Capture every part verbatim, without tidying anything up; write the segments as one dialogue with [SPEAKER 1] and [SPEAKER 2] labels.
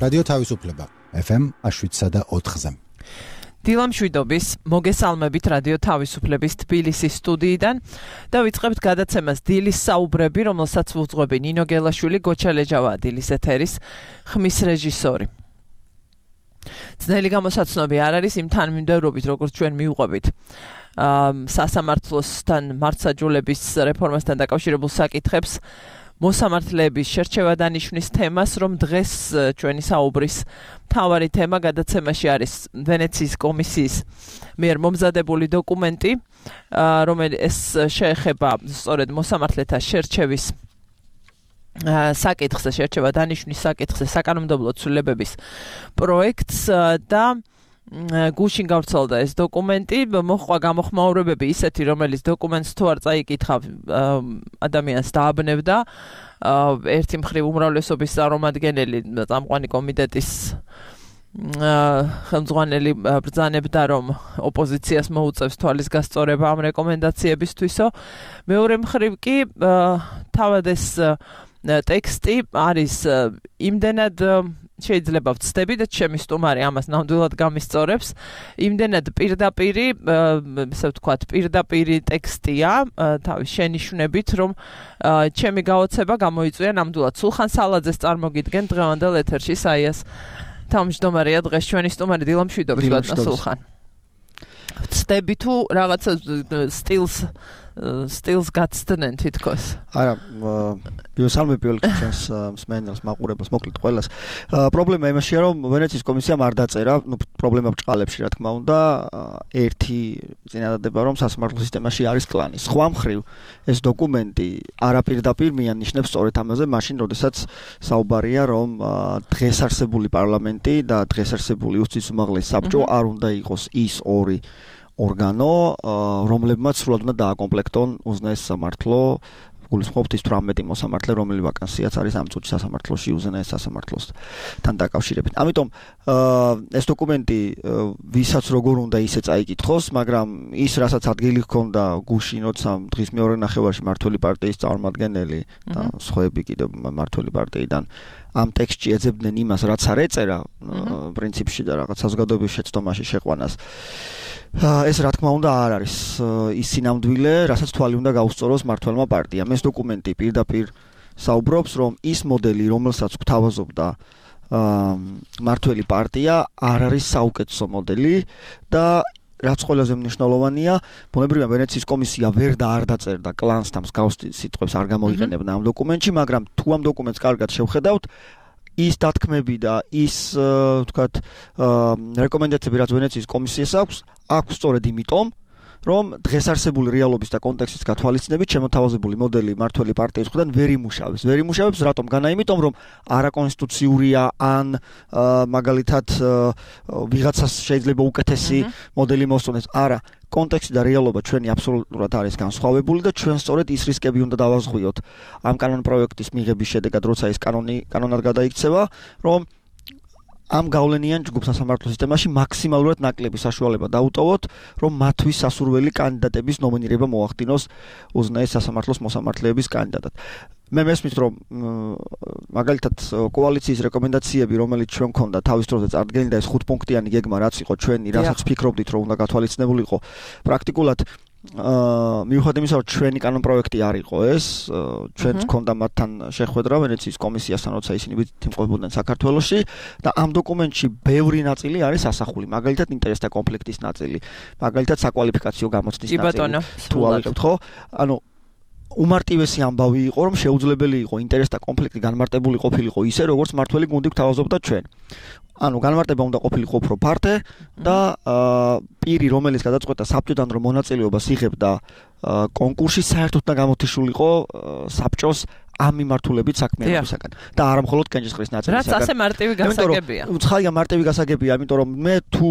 [SPEAKER 1] რადიო თავისუფლება ეფ ემ შვიდსა და ოთხზე.
[SPEAKER 2] დილამ შვიდობის მოგესალმებით რადიო თავისუფლების თბილისის სტუდიიდან და ვიწყებთ გადაცემას დილის საუბრები, რომელსაც ვუძღვები ნინო გელაშვილი, გოჩა ლეჯავა დილის ეთერის ხმის რეჟისორი. ძნელი გამოსაცნობი არ არის იმ თანმიმდევრობით, როგორც ჩვენ მივყვებით სასამართლოსთან მართლმსაჯულების რეფორმასთან დაკავშირებულ საკითხებს. მოსამართლეების შერჩევა დანიშვნის თემას, რომ დღეს ჩვენი საუბრის მთავარი თემა გადაცემაში არის ვენეციის კომისიის მიერ მომზადებული დოკუმენტი, რომელიც შეეხება სწორედ მოსამართლეთა შერჩევის საკითხზე, შერჩევა დანიშვნის საკითხზე საკანონმდებლო ცვლილებების პროექტს და გუშინ გავრცელდა ეს დოკუმენტი, მოხდა გამოხმაურებები ისეთი, რომელიც დოკუმენტს თუ არ წაიკითხა ადამიანს დააბნევდა. ერთი მხრივ უმრავლესობის წარმომადგენელი წამყვანი კომიტეტის ხელმძღვანელი ბრძანებდა, რომ ოპოზიციას მოუწევს თვალის გასწორება ამ რეკომენდაციებისთვისო. მეორე მხრივ კი თავად ეს ტექსტი არის იმდენად შეიძლება ვცდები და ჩემი სტუმარი ამას ნამდვილად გამისწორებს. იმდენად პირდაპირი, ესე ვთქვათ, პირდაპირი ტექსტია თავის შენიშვნებით, რომ ჩემი გაოცება გამოიწვია ნამდვილად. სულხან სალაძეს წარმოგიდგენ დღევანდელ ეთერში საიას თავმჯდომარეა დღეს ჩვენი სტუმარი დილამ შვიდობის ბატონო სულხან. ვცდები თუ რაღაცა სტილს სტილს გაცდნენ თითქოს.
[SPEAKER 3] არა, ბიოსალმები პირველ ჩვენს მსმენელს, მაყურებელს, მოკლედ ყველას. პრობლემა იმაშია, რომ ვენეციის კომისიამ არ დაწერა, ნუ პრობლემა ბჭყალებში, რა თქმა უნდა, ერთი წინადადება, რომ სასამართლო სისტემაში არის კლანი. სხვა მხრივ, ეს დოკუმენტი არაპირდაპირ მიანიშნებს სწორედ ამაზე, მაშინ, როდესაც საუბარია, რომ დღეს არსებული პარლამენტი და დღეს არსებული უსწის უმაღლესი საბჭო არ უნდა იყოს ის ორი ორგანო, რომლებმაც სრულად უნდა დააკომპლექტონ უზენაეს სამართლო, გულისხმობთ ის თვრამეტი მოსამართლე, რომელი ვაკანსიაც არის ამ წუთში სასამართლოში უზენაეს სასამართლოსთან დაკავშირებით. ამიტომ ეს დოკუმენტი ვისაც როგორ უნდა ისე წაიკითხოს, მაგრამ ის, რასაც ადგილი ჰქონდა გუშინ, როცა დღის მეორე ნახევარში მმართველი პარტიის წარმომადგენელი და სხვაები კიდევ მმართველი პარტიიდან ამ ტექსტში ეძებდნენ იმას, რაც არ ეწერა პრინციპში და რაღაც საზოგადოების შეცდომაში შეყვანას. ეს რა თქმა უნდა არ არის ის სინამდვილე, რასაც თვალი უნდა გაუსწოროს მმართველმა პარტიამ. ეს დოკუმენტი პირდაპირ საუბრობს, რომ ის მოდელი, რომელსაც გვთავაზობდა მმართველი პარტია, არ არის საუკეთესო მოდელი და რაც ყველაზე მნიშვნელოვანია, ბუნებრივია ვენეციის კომისია ვერ და არ დაწერდა კლანს და მსგავს სიტყვებს არ გამოიყენებდა ამ დოკუმენტში, მაგრამ თუ ამ დოკუმენტს კარგად შევხედავთ, ის დათქმები და ის, ვთქვათ, რეკომენდაციები, რაც ვენეციის კომისიას აქვს, აქვს სწორედ იმიტომ, რომ დღეს არსებული რეალობის და კონტექსტის გათვალისწინებით შემოთავაზებული მოდელი მმართველი პარტიის მხრიდან ვერ იმუშავებს. ვერ იმუშავებს, რატომ? განა იმიტომ, რომ არაკონსტიტუციურია ან მაგალითად ვიღაცას შეიძლება უკეთესი მოდელი მოსწონდეს. არა, კონტექსტი და რეალობა ჩვენი აბსოლუტურად არის განსხვავებული და ჩვენ სწორედ ის რისკები უნდა დავაზღვიოთ ამ კანონ პროექტის მიღების შედეგად, როცა ეს კანონი კანონად გადაიქცევა, რომ ამ გავლენიან ჯგუფ სასამართლო სისტემაში მაქსიმალურად ნაკლები საშუალება დაუტოვოთ, რომ მათთვის სასურველი კანდიდატების ნომინირება მოახდინოს უზენაეს სასამართლოს მოსამართლეების კანდიდატად. მე მესმის, რომ მაგალითად კოალიციის რეკომენდაციები, რომელიც ჩვენ გქონდა თავის დროზე წარდგენილი და ეს ხუთპუნქტიანი გეგმა რაც იყო ჩვენი, რასაც ფიქრობდით, რომ უნდა გათვალისწინებულიყო, პრაქტიკულად მიუხედავად იმისა, რომ ჩვენი კანონ პროექტი არ იყო ეს, ჩვენც გქონდა მათთან შეხვედრა ვენეციის კომისიასთან, როცა ისინი იმყოფებოდნენ საქართველოში და ამ დოკუმენტში ბევრი ნაწილი არის ასახული, მაგალითად ინტერესთა კონფლიქტის ნაწილი, მაგალითად საკვალიფიკაციო გამოცდის ნაწილი. თუ ავიღებთ, ხო? ანუ უმარტივესი ამბავი იყო, რომ შეუძლებელი იყო ინტერესთა კონფლიქტი განმარტებული ყოფილიყო ისე, როგორც მმართველი გუნდი გვთავაზობდა ჩვენ. ანუ განმარტება უნდა ყოფილიყო უფრო ფართე და პირი, რომელიც გადაწყვეტა საბჭოდან რომ მონაწილეობას იღებდა კონკურსში, საერთოდ და გამოთიშულიყო საბჭოს ამ მიმართულებით საქმიანობისაგან და არა მხოლოდ კენჭისყრის ნაწილისაგან.
[SPEAKER 2] რაც ასე მარტივი გასაგებია.
[SPEAKER 3] უცხოა მარტივი გასაგებია, იმიტომ რომ მე თუ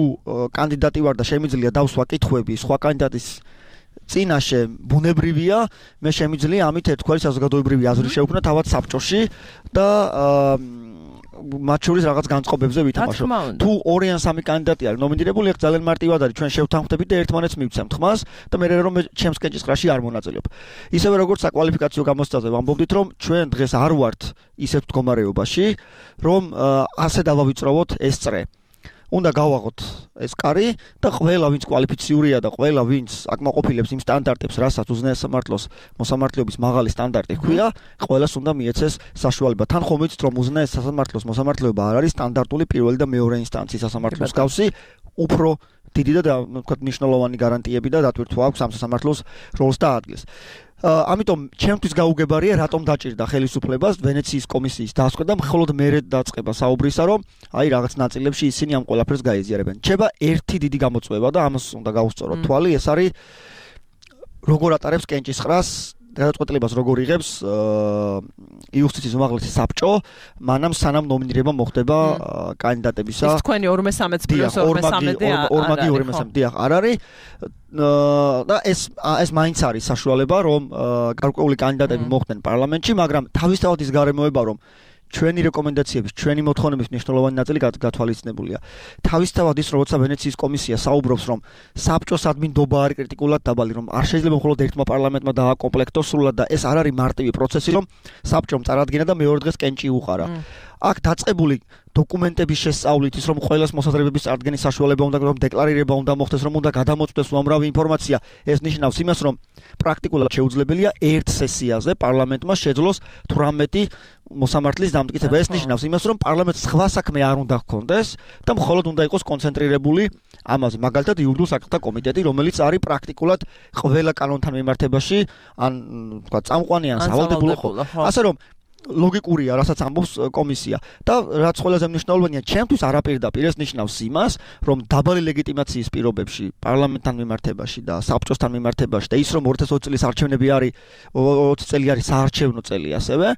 [SPEAKER 3] კანდიდატი ვარ და შემიძლია დავსვა კითხვები სხვა კანდიდატის წინაშე ბუნებრივია, მე შემიძლია ამით ერთგვარი საზოგადოებრივი აზრი შევქმნა თავად საბჭოში და მათ შორის რაღაც განწყობებზე ვითამაშო. თუ ორი ან სამი კანდიდატი არის ნომინირებული, ახლა ძალიან მარტივად არის, ჩვენ შევთანხმდებით და ერთმანეთს მივცემთ ხმას და მე რომ ჩემს კენჭისყრაში არ მონაწილეობ. ისევე როგორც საკვალიფიკაციო გამოცდაზე ვამბობდით, რომ ჩვენ დღეს არ ვართ ისეთ მდგომარეობაში, რომ ასე დავავიწროვოთ ეს წრე. უნდა გავაღოთ ეს კარი და ყველა ვინც კვალიფიციურია და ყველა ვინც აკმაყოფილებს იმ სტანდარტებს, რასაც უზენაეს სამართლოს მოსამართლეობის მაღალი სტანდარტი ჰქვია, ყველას უნდა მიეცეს საშუალება. თან ხომ იცით რომ უზენაეს სამართლოს მოსამართლეობა არ არის სტანდარტული პირველი და მეორე ინსტანციის სასამართლოს გავსი, უფრო დიდი და ვთქვათ მნიშვნელოვანი გარანტიები და დატვირთვა აქვს ამ სასამართლოს როლს და ადგილს. ამიტომ ჩემთვის გაუგებარია რატომ დაჭირდა ხელისუფლებას ვენეციის კომისიის დასწრება და მხოლოდ მერე დაწყება საუბრისა, რომ აი რაღაც ნაწილებში ისინი ამ ყველაფერს გაიზიარებენ. ჩება ერთი დიდი გამოწვევა და ამას უნდა გავუსწოროთ თვალი, ეს არის როგორ ატარებს კენჭისყრას გადაწყვეტილებას როგორ იღებს იუსტიციის უმაღლესი საბჭო, მანამ სანამ ნომინირება მოხდება კანდიდატებისა.
[SPEAKER 2] ის თქვენი ორმე სამეც პლუს ორმე სამედი
[SPEAKER 3] ორმაგი ორმე სამედი დიახ არ არის და ეს ეს მაინც არის საშუალება, რომ გარკვეული კანდიდატები მოხდნენ პარლამენტში, მაგრამ თავისთავად ის გარემოება, რომ ჩვენი რეკომენდაციების, ჩვენი მოთხოვნების მნიშვნელოვანი ნაწილი გათვალისწინებულია. თავისთავად ის, როცა ვენეციის კომისია საუბრობს, რომ საბჭოს ადმინდობა არის კრიტიკულად დაბალი, რომ არ შეიძლება მხოლოდ ერთმა პარლამენტმა დააკომპლექტოს სრულად და ეს არ არის მარტივი პროცესი, რომ საბჭომ წარადგინა და მეორე დღეს კენჭი უყარა. აქ დაწყებული დოკუმენტების შესწავლით ის, რომ ყველას მოსაზრებების წარდგენის საშუალება უნდა, რომ დეკლარირება უნდა მოხდეს, რომ უნდა გადამოწვდეს უამრავი ინფორმაცია, ეს ნიშნავს იმას, რომ პრაქტიკულად შეუძლებელია ერთ სესიაზე პარლამენტმა შეძლოს თვრამეტი მოსამართლის დამტკიცება. ეს ნიშნავს იმას, რომ პარლამენტს სხვა საქმე არ უნდა ჰქონდეს და მხოლოდ უნდა იყოს კონცენტრირებული ამაზე. მაგალითად, იურიდიულ საკითხთა კომიტეტი, რომელიც არის პრაქტიკულად ყველა კანონთან მიმართებაში, ან თქვა წამყვანი ან სავალდებულო ხო. ასე რომ ლოგიკურია, რასაც ამბობს კომისია და რაც ყველაზე მნიშვნელოვანია, ჩემთვის არაპირდაპირ ეს ნიშნავს იმას, რომ დაბალი ლეგიტიმაციის პირობებში პარლამენტთან მიმართებაში და საბჭოსთან მიმართებაში და ის რომ ორი ათას ოცი წლის არჩევნები არის ოცი წელი არის საარჩევნო წელი ასევე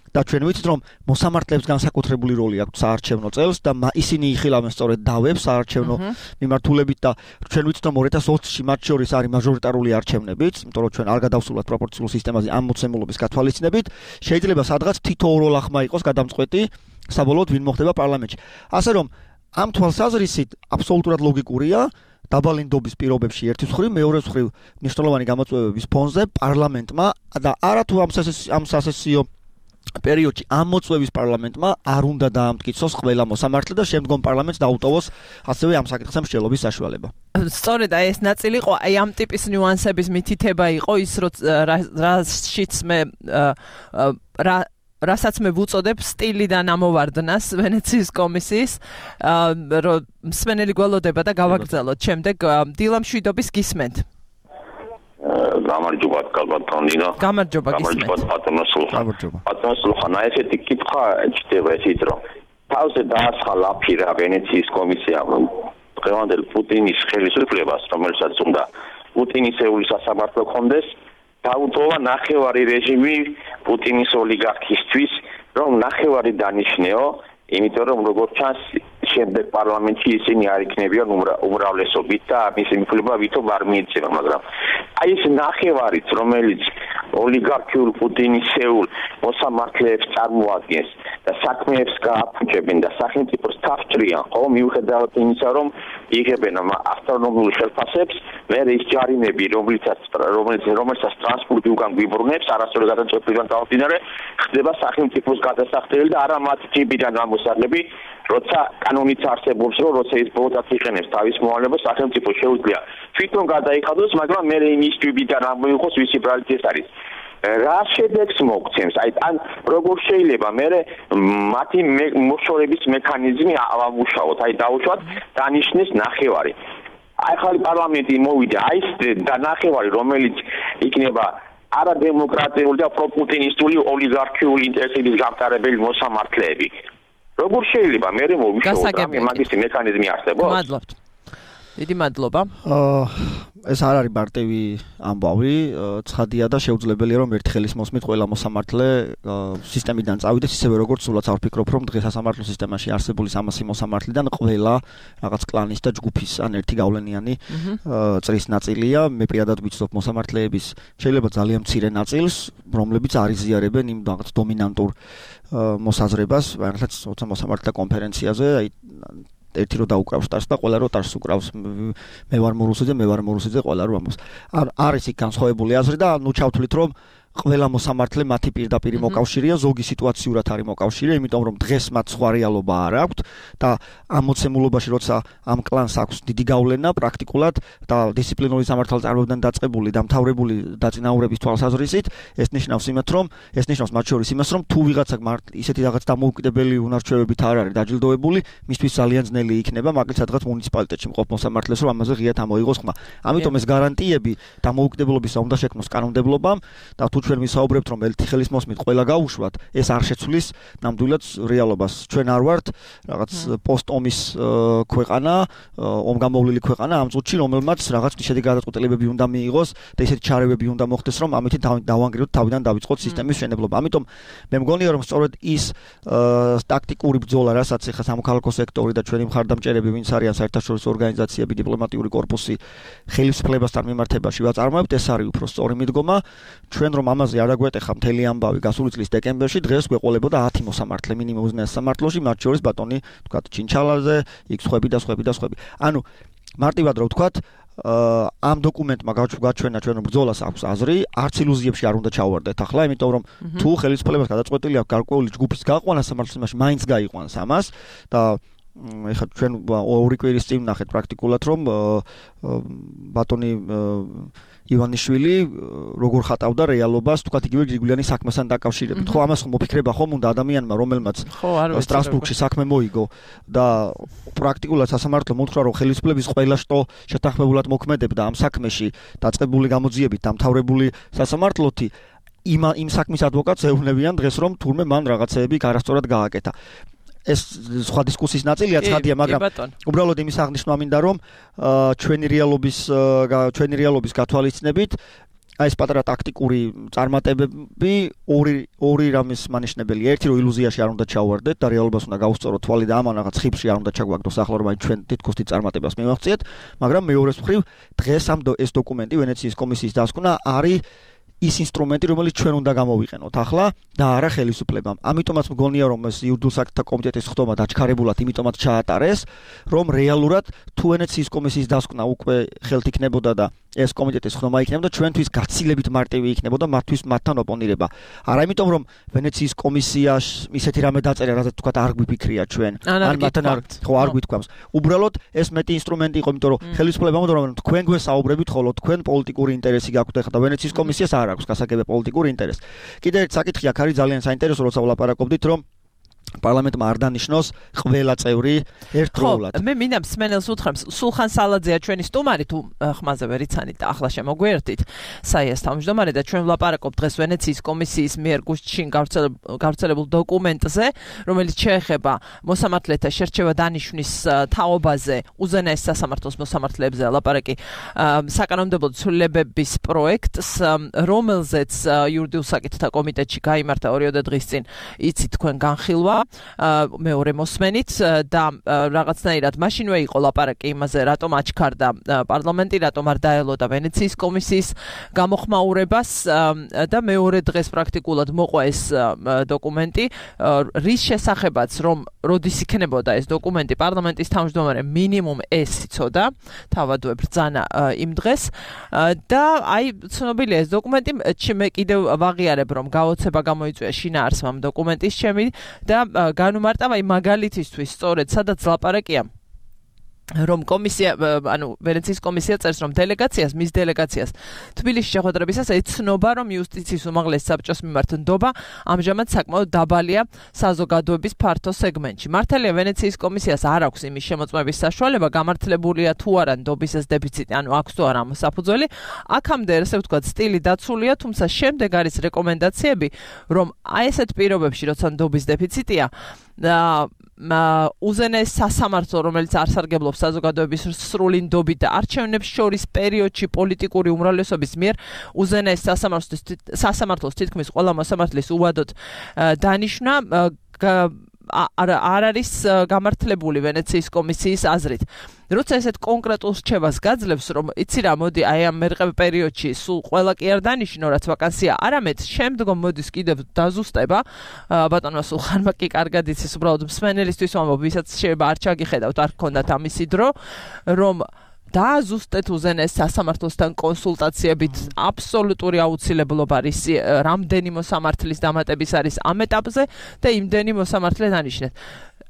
[SPEAKER 3] და ჩვენ ვიცით რომ მოსამართლეებს განსაკუთრებული როლი აქვს საარჩევნო წელს და ისინი იხილავენ სწორედ დავებს საარჩევნო მიმართულებით და ჩვენ ვიცით რომ ორი ათას ოცში მათ შორის არის მაჟორიტარული არჩევნებიც, იმიტომ რომ ჩვენ არ გადავსულათ პროპორციულ სისტემაზე ამ მოცემულობის გათვალისწინებით, შეიძლება სადღაც თითო ორ ლახმა იყოს გადამწყვეტი საბოლოოდ ვინ მოხდება პარლამენტში. ასე რომ ამ თვალსაზრისით აბსოლუტურად ლოგიკურია დაბალი ნდობის პირობებში ერთის მხრივ, მეორეს მხრივ მნიშვნელოვანი გამოწვევების ფონზე პარლამენტმა და არათუ ამ სასესიო პერიოდში ამ მოწვევის პარლამენტმა არ უნდა დაამტკიცოს ყველა მოსამართლე და შემდგომ პარლამენტს დაუტოვოს ასევე ამ საკითხზე მსჯელობის საშუალება.
[SPEAKER 2] სწორედ აი ეს ნაწილი იყო, აი ამ ტიპის ნიუანსების მითითება იყო ის, რაშიც მე რა რასაც მე ვუწოდებ სტილიდან ამოვარდნას ვენეციის კომისიის, რომ მსმენელი გველოდება და გავაგრძელოთ. შემდეგ დილა მშვიდობის გისმენთ.
[SPEAKER 4] გამარჯობა კალბატონინო.
[SPEAKER 2] გამარჯობა გისმენთ.
[SPEAKER 4] გამარჯობა. პატრონსულხანა ესეთი კითხვა ჩდება ესიც რომ თავზე დაასხა ლაფირა ვენეციის კომისია დღევანდელ პუტინის ხელისუფლებას, რომელსაც უნდა პუტინისეული სასამართლო ქონდეს, დაუტოვა ნახევარი რეჟიმი პუტინის ოლიგარქისთვის, რომ ნახევარი დანიშნეო, იმიტომ რომ როგორც ჩანს შემდეგ პარლამენტში ისინი არ იქნებიან უმრავლესობით და მისი მიღება ვითომ არ მიეცემა, მაგრამ აი ეს ნახევარიც, რომელიც ოლიგარქიულ პუტინისეულ მოსამართლეებს წარმოადგენს და საქმეებს გააფუჭებენ და სახელმწიფოს თავს-ჭრიან, ხო, მიუხედავად იმისა, რომ იღებენ ავტონომიურ ხელფასებს, მე ის ჯარიმები, რომელიცაც რომელიც რომელსაც ტრანსპორტი უკან გვიბრუნებს, არასწორი გადაწყვეტილებიდან გამომდინარე, ხდება სახელმწიფოს გადასახდელი და არა მათ ჯიბიდან გამოსაღები, როცა კანონიც არსებობს, რომ როცა ის ბოლოდაც იყენებს თავის მოვალეობას, სახელმწიფო შეუძლია თვითონ გადაიხადოს, მაგრამ მე იმის ჯიბიდან არ მოიღოს, ვისი ბრალით ეს არის. რა შედეგს მოგცემს? აი ან როგორ შეიძლება მე მათი მოშორების მექანიზმი ავამუშავოთ, აი დაუშვათ დანიშნეს ნახევარი. აი ხალი პარლამენტი მოვიდა, აი ეს ნახევარი, რომელიც იქნება არადემოკრატიული და პროპუტინისტული ოლიგარქიული ინტერესების გამტარებელი მოსამართლეები. როგორ შეიძლება მე მოვიშოვოთ ამ მაგის მექანიზმი არსებობს?
[SPEAKER 2] მადლობთ. დიდი მადლობა.
[SPEAKER 3] ეს არ არის მარტივი ამბავი, ცხადია და შეუძლებელია რომ ერთი ხელის მოსმით ყველა მოსამართლე სისტემიდან წავიდეს, ისევე როგორც სულაც არ ვფიქრობ რომ დღეს სასამართლო სისტემაში არსებული სამასი მოსამართლიდან ყველა რაღაც კლანის და ჯგუფის ან ერთი გავლენიანი წრის ნაწილია. მე პირადად ვიცნობ მოსამართლეების შეიძლება ძალიან მცირე ნაწილს, რომლებიც არიზიარებენ იმ რაღაც დომინანტურ მოსაზრებას, რასაც თორსა მოსამართლეთა კონფერენციაზე, აი ერთი რო დაუკრავს ტარს და ყველა რო ტარს უკრავს მე ვარ მორუსიძე მე ვარ მორუსიძე ყველა რო ამბობს. არ არის იქ განსხვავებული აზრი და ნუ ჩავთვლით რომ ყველა მოსამართლე მათი პირდაპირი მოკავშირეა, ზოგი სიტუაციურად არის მოკავშირე, იმიტომ რომ დღეს მათ სხვა რეალობა არ აქვთ და ამ მოცემულობაში როცა ამ კლანს აქვს დიდი გავლენა პრაქტიკულად და დისციპლინური სამართალი წარმოებიდან დაწყებული და მთავრებული დაწინაურების თვალსაზრისით, ეს ნიშნავს იმათ რომ ეს ნიშნავს მათ შორის იმას რომ თუ ვიღაცა ისეთი რაღაც დამოუკიდებელი უნარჩვევებით არ არის დაჯილდოებული, მისთვის ძალიან ძნელი იქნება მაგალითად სადღაც მუნიციპალიტეტში მყოფ მოსამართლეს რომ ამაზე ღიად ამოიღოს ხმა. ამიტომ ეს გარანტიები დამოუკიდებლობისა უნდა შექმნოს კანონმდებლობამ და თუ ჩვენ ვისაუბრებთ რომ ერთი ხელის მოსმით ყველა გაუშვათ, ეს არ შეცვლის ნამდვილად რეალობას. ჩვენ არ ვართ რაღაც პოსტ-ომის ქვეყანა, ომგამოვლილი ქვეყანა ამ წუთში, რომელმაც რაღაც შედეგი გადაწყვეტილებები უნდა მიიღოს და ისეთი ჩარევები უნდა მოხდეს, რომ ამით დავანგრიოთ თავიდან დავიწყოთ სისტემის მშენებლობა. ამიტომ მე მგონია რომ სწორედ ის ტაქტიკური ბრძოლა, რასაც ეხა სამოქალაქო სექტორი და ჩვენი მხარდამჭერები, ვინც არიან საერთაშორისო ორგანიზაციები, დიპლომატიური კორპუსი ხელისუფლებასთან მიმართებაში ვაწარმოებთ, ეს არის უფრო სწორი მიდგომა. ჩვენ რომ ამაზე არ აგვეტეხა მთელი ამბავი გასული წლის დეკემბერში, დღეს გვეყოლებოდა ათი მოსამართლე მინიმუმ უზენაეს სამართლოში, მათ შორის ბატონი თქვა ჩინჩალაძე, იქ სხვები და სხვები და სხვები. ანუ მარტივად რო ვთქვათ, ამ დოკუმენტმა გაჩვენა ჩვენ რომ ბრძოლას აქვს აზრი, არც ილუზიებში არ უნდა ჩავარდეთ ახლა, იმიტომ რომ თუ ხელისუფლებას გადაწყვეტილი აქვს გარკვეული ჯგუფის გაყვანა სამართლოში, მაინც გაიყვანს ამას და ეხლა ჩვენ ორი კვირის წინ ვნახეთ პრაქტიკულად რომ ბატონი ივანიშვილი როგორ ხატავდა რეალობას, თქვათ იგივე გრიგოლიანის საქმესთან დაკავშირებით. ხო, ამას ხომ მოფიქრება ხომ უნდა ადამიანმა, რომელმაც სტრასბურგში საქმე მოიგო და პრაქტიკულად სასამართლო მოთხრა რომ ხელისუფლების ყველა შტო შეთანხმებულად მოქმედებდა ამ საქმეში დაწყებული გამოძიებით დამთავრებული სასამართლოთი იმ იმ საქმის ადვოკატს ეუბნებიან დღეს რომ თურმე მან რაღაცეები არასწორად გააკეთა. ეს სხვა დისკუსიის ნაწილია, ცხადია, მაგრამ უბრალოდ იმის აღნიშვნა მინდა რომ ჩვენი რეალობის ჩვენი რეალობის გათვალისწინებით აი ეს პატარა ტაქტიკური წარმატებები ორი ორი რამის მანიშნებელია. ერთი რომ ილუზიაში არ უნდა ჩავარდეთ და რეალობას უნდა გავუსწოროთ თვალი და ამან რაღაც ხიფში არ უნდა ჩაგვაგდოს ახლა რომ აი ჩვენ თითქოს დიდ წარმატებას მივაღწიეთ, მაგრამ მეორეს მხრივ დღეს ამ ეს დოკუმენტი ვენეციის კომისიის დასკვნა არის ის ინსტრუმენტი, რომელიც ჩვენ უნდა გამოვიყენოთ ახლა და არა ხელისუფლებამ. ამიტომაც მგონია რომ ეს იურიდიულ საკითხთა კომიტეტის ხდომა დაჩქარებულად იმიტომაც ჩაატარეს, რომ რეალურად თუ ვენეციის კომისიის დასკვნა უკვე ხელთ იქნებოდა და ეს კომიტეტის ხდომა იქნებოდა, ჩვენთვის გაცილებით მარტივი იქნებოდა მათთვის მათთან ოპონირება. არა იმიტომ რომ ვენეციის კომისიაში ისეთი რამე დაწერა, რასაც თქვა არ გვიფიქრია ჩვენ, ან მათთან არ ხო არ გვითქვამს. უბრალოდ ეს მეტი ინსტრუმენტი იყო, იმიტომ რომ ხელისუფლებამ უნდა რომ თქვენ გვესაუბრებით, ხოლო თქვენ პოლიტიკური ინტერესი გაქვთ ეხლა და ვენეციის კომისიას არ აქვს გასაგებია პოლიტიკური ინტერესი. კიდევ ერთ საკითხი აქ არის ძალიან საინტერესო, როცა ვლაპარაკობდით, რომ პარლამენტმა არ დანიშნოს ყველა წევრი ერთდროულად.
[SPEAKER 2] მე მინდა მსმენელს უთხრა, სულხან სალაძეა ჩვენი სტუმარი, თუ ხმაზე ვერ იცანით და ახლა შემოგვიერთით. საიას თავმჯდომარე და ჩვენ ვლაპარაკობთ დღეს ვენეციის კომისიის მიერ გუშინ გავრცელებულ დოკუმენტზე, რომელიც შეეხება მოსამართლეთა შერჩევა დანიშვნის თაობაზე, უზენაეს სასამართლოს მოსამართლეებზე ლაპარაკი საკანონმდებლო ცვლილებების პროექტს, რომელზეც იურიდიულ საკითხთა კომიტეტში გაიმართა ორიოდე დღის წინ, იცით თქვენ განხილვა მეორე მოსმენით და რაღაცნაირად მაშინვე იყო ლაპარაკი იმაზე, რატომ აჩქარდა პარლამენტი, რატომ არ დაელოდა ვენეციის კომისიის გამოხმაურებას და მეორე დღეს პრაქტიკულად მოყვა ეს დოკუმენტი, რის შესახებაც რომ როდის იქნებოდა ეს დოკუმენტი პარლამენტის თავმჯდომარე მინიმუმ ეს იცოდა, თავადვე ბრძანა იმ დღეს და აი ცნობილია ეს დოკუმენტი, მე კიდევ ვაღიარებ რომ გაოცება გამოიწვია შინაარსმა ამ დოკუმენტის ჩემი და განუმარტავ აი მაგალითისთვის სწორედ სადაც ლაპარაკია რომ კომისია, ანუ ვენეციის კომისია წერს რომ დელეგაციას, მის დელეგაციას თბილისში შეხვედრებისას ეცნობა რომ იუსტიციის უმაღლეს საბჭოს მიმართ ნდობა ამჟამად საკმაოდ დაბალია საზოგადოების ფართო სეგმენტში. მართალია ვენეციის კომისიას არ აქვს იმის შემოწმების საშუალება, გამართლებულია თუ არა ნდობის ეს დეფიციტი, ანუ აქვს თუ არა საფუძველი. აქამდე ესე ვთქვათ სტილი დაცულია, თუმცა შემდეგ არის რეკომენდაციები, რომ აი ესეთ პირობებში, როცა ნდობის დეფიციტია და უზენაეს სასამართლო, რომელიც არსარგებლობს საზოგადოების სრული ნდობით და არჩევნებს შორის პერიოდში პოლიტიკური უმრავლესობის მიერ უზენაეს სასამართლოს სასამართლოს თითქმის ყველა მოსამართლის უვადოდ დანიშნა არ არის გამართლებული ვენეციის კომისიის აზრით. როცა ესეთ კონკრეტულ რჩევას გაძლევს, რომ იცი რა, მოდი აი ამ მერყევ პერიოდში სულ ყველა კი არ დანიშნო, რაც ვაკანსია, არამედ შემდგომ მოდის კიდევ დაზუსტება. ბატონო სულხანმა კი კარგად იცის, უბრალოდ მსმენელისთვის ვამბობ, ვისაც შეიძლება არ ჩაგიხედავთ, არ გქონდათ ამისი დრო, რომ დააზუსტეთ უზენაეს სასამართლოსთან კონსულტაციებით აბსოლუტური აუცილებლობა არის რამდენი მოსამართლის დამატების არის ამ ეტაპზე და იმდენი მოსამართლე დანიშნეთ.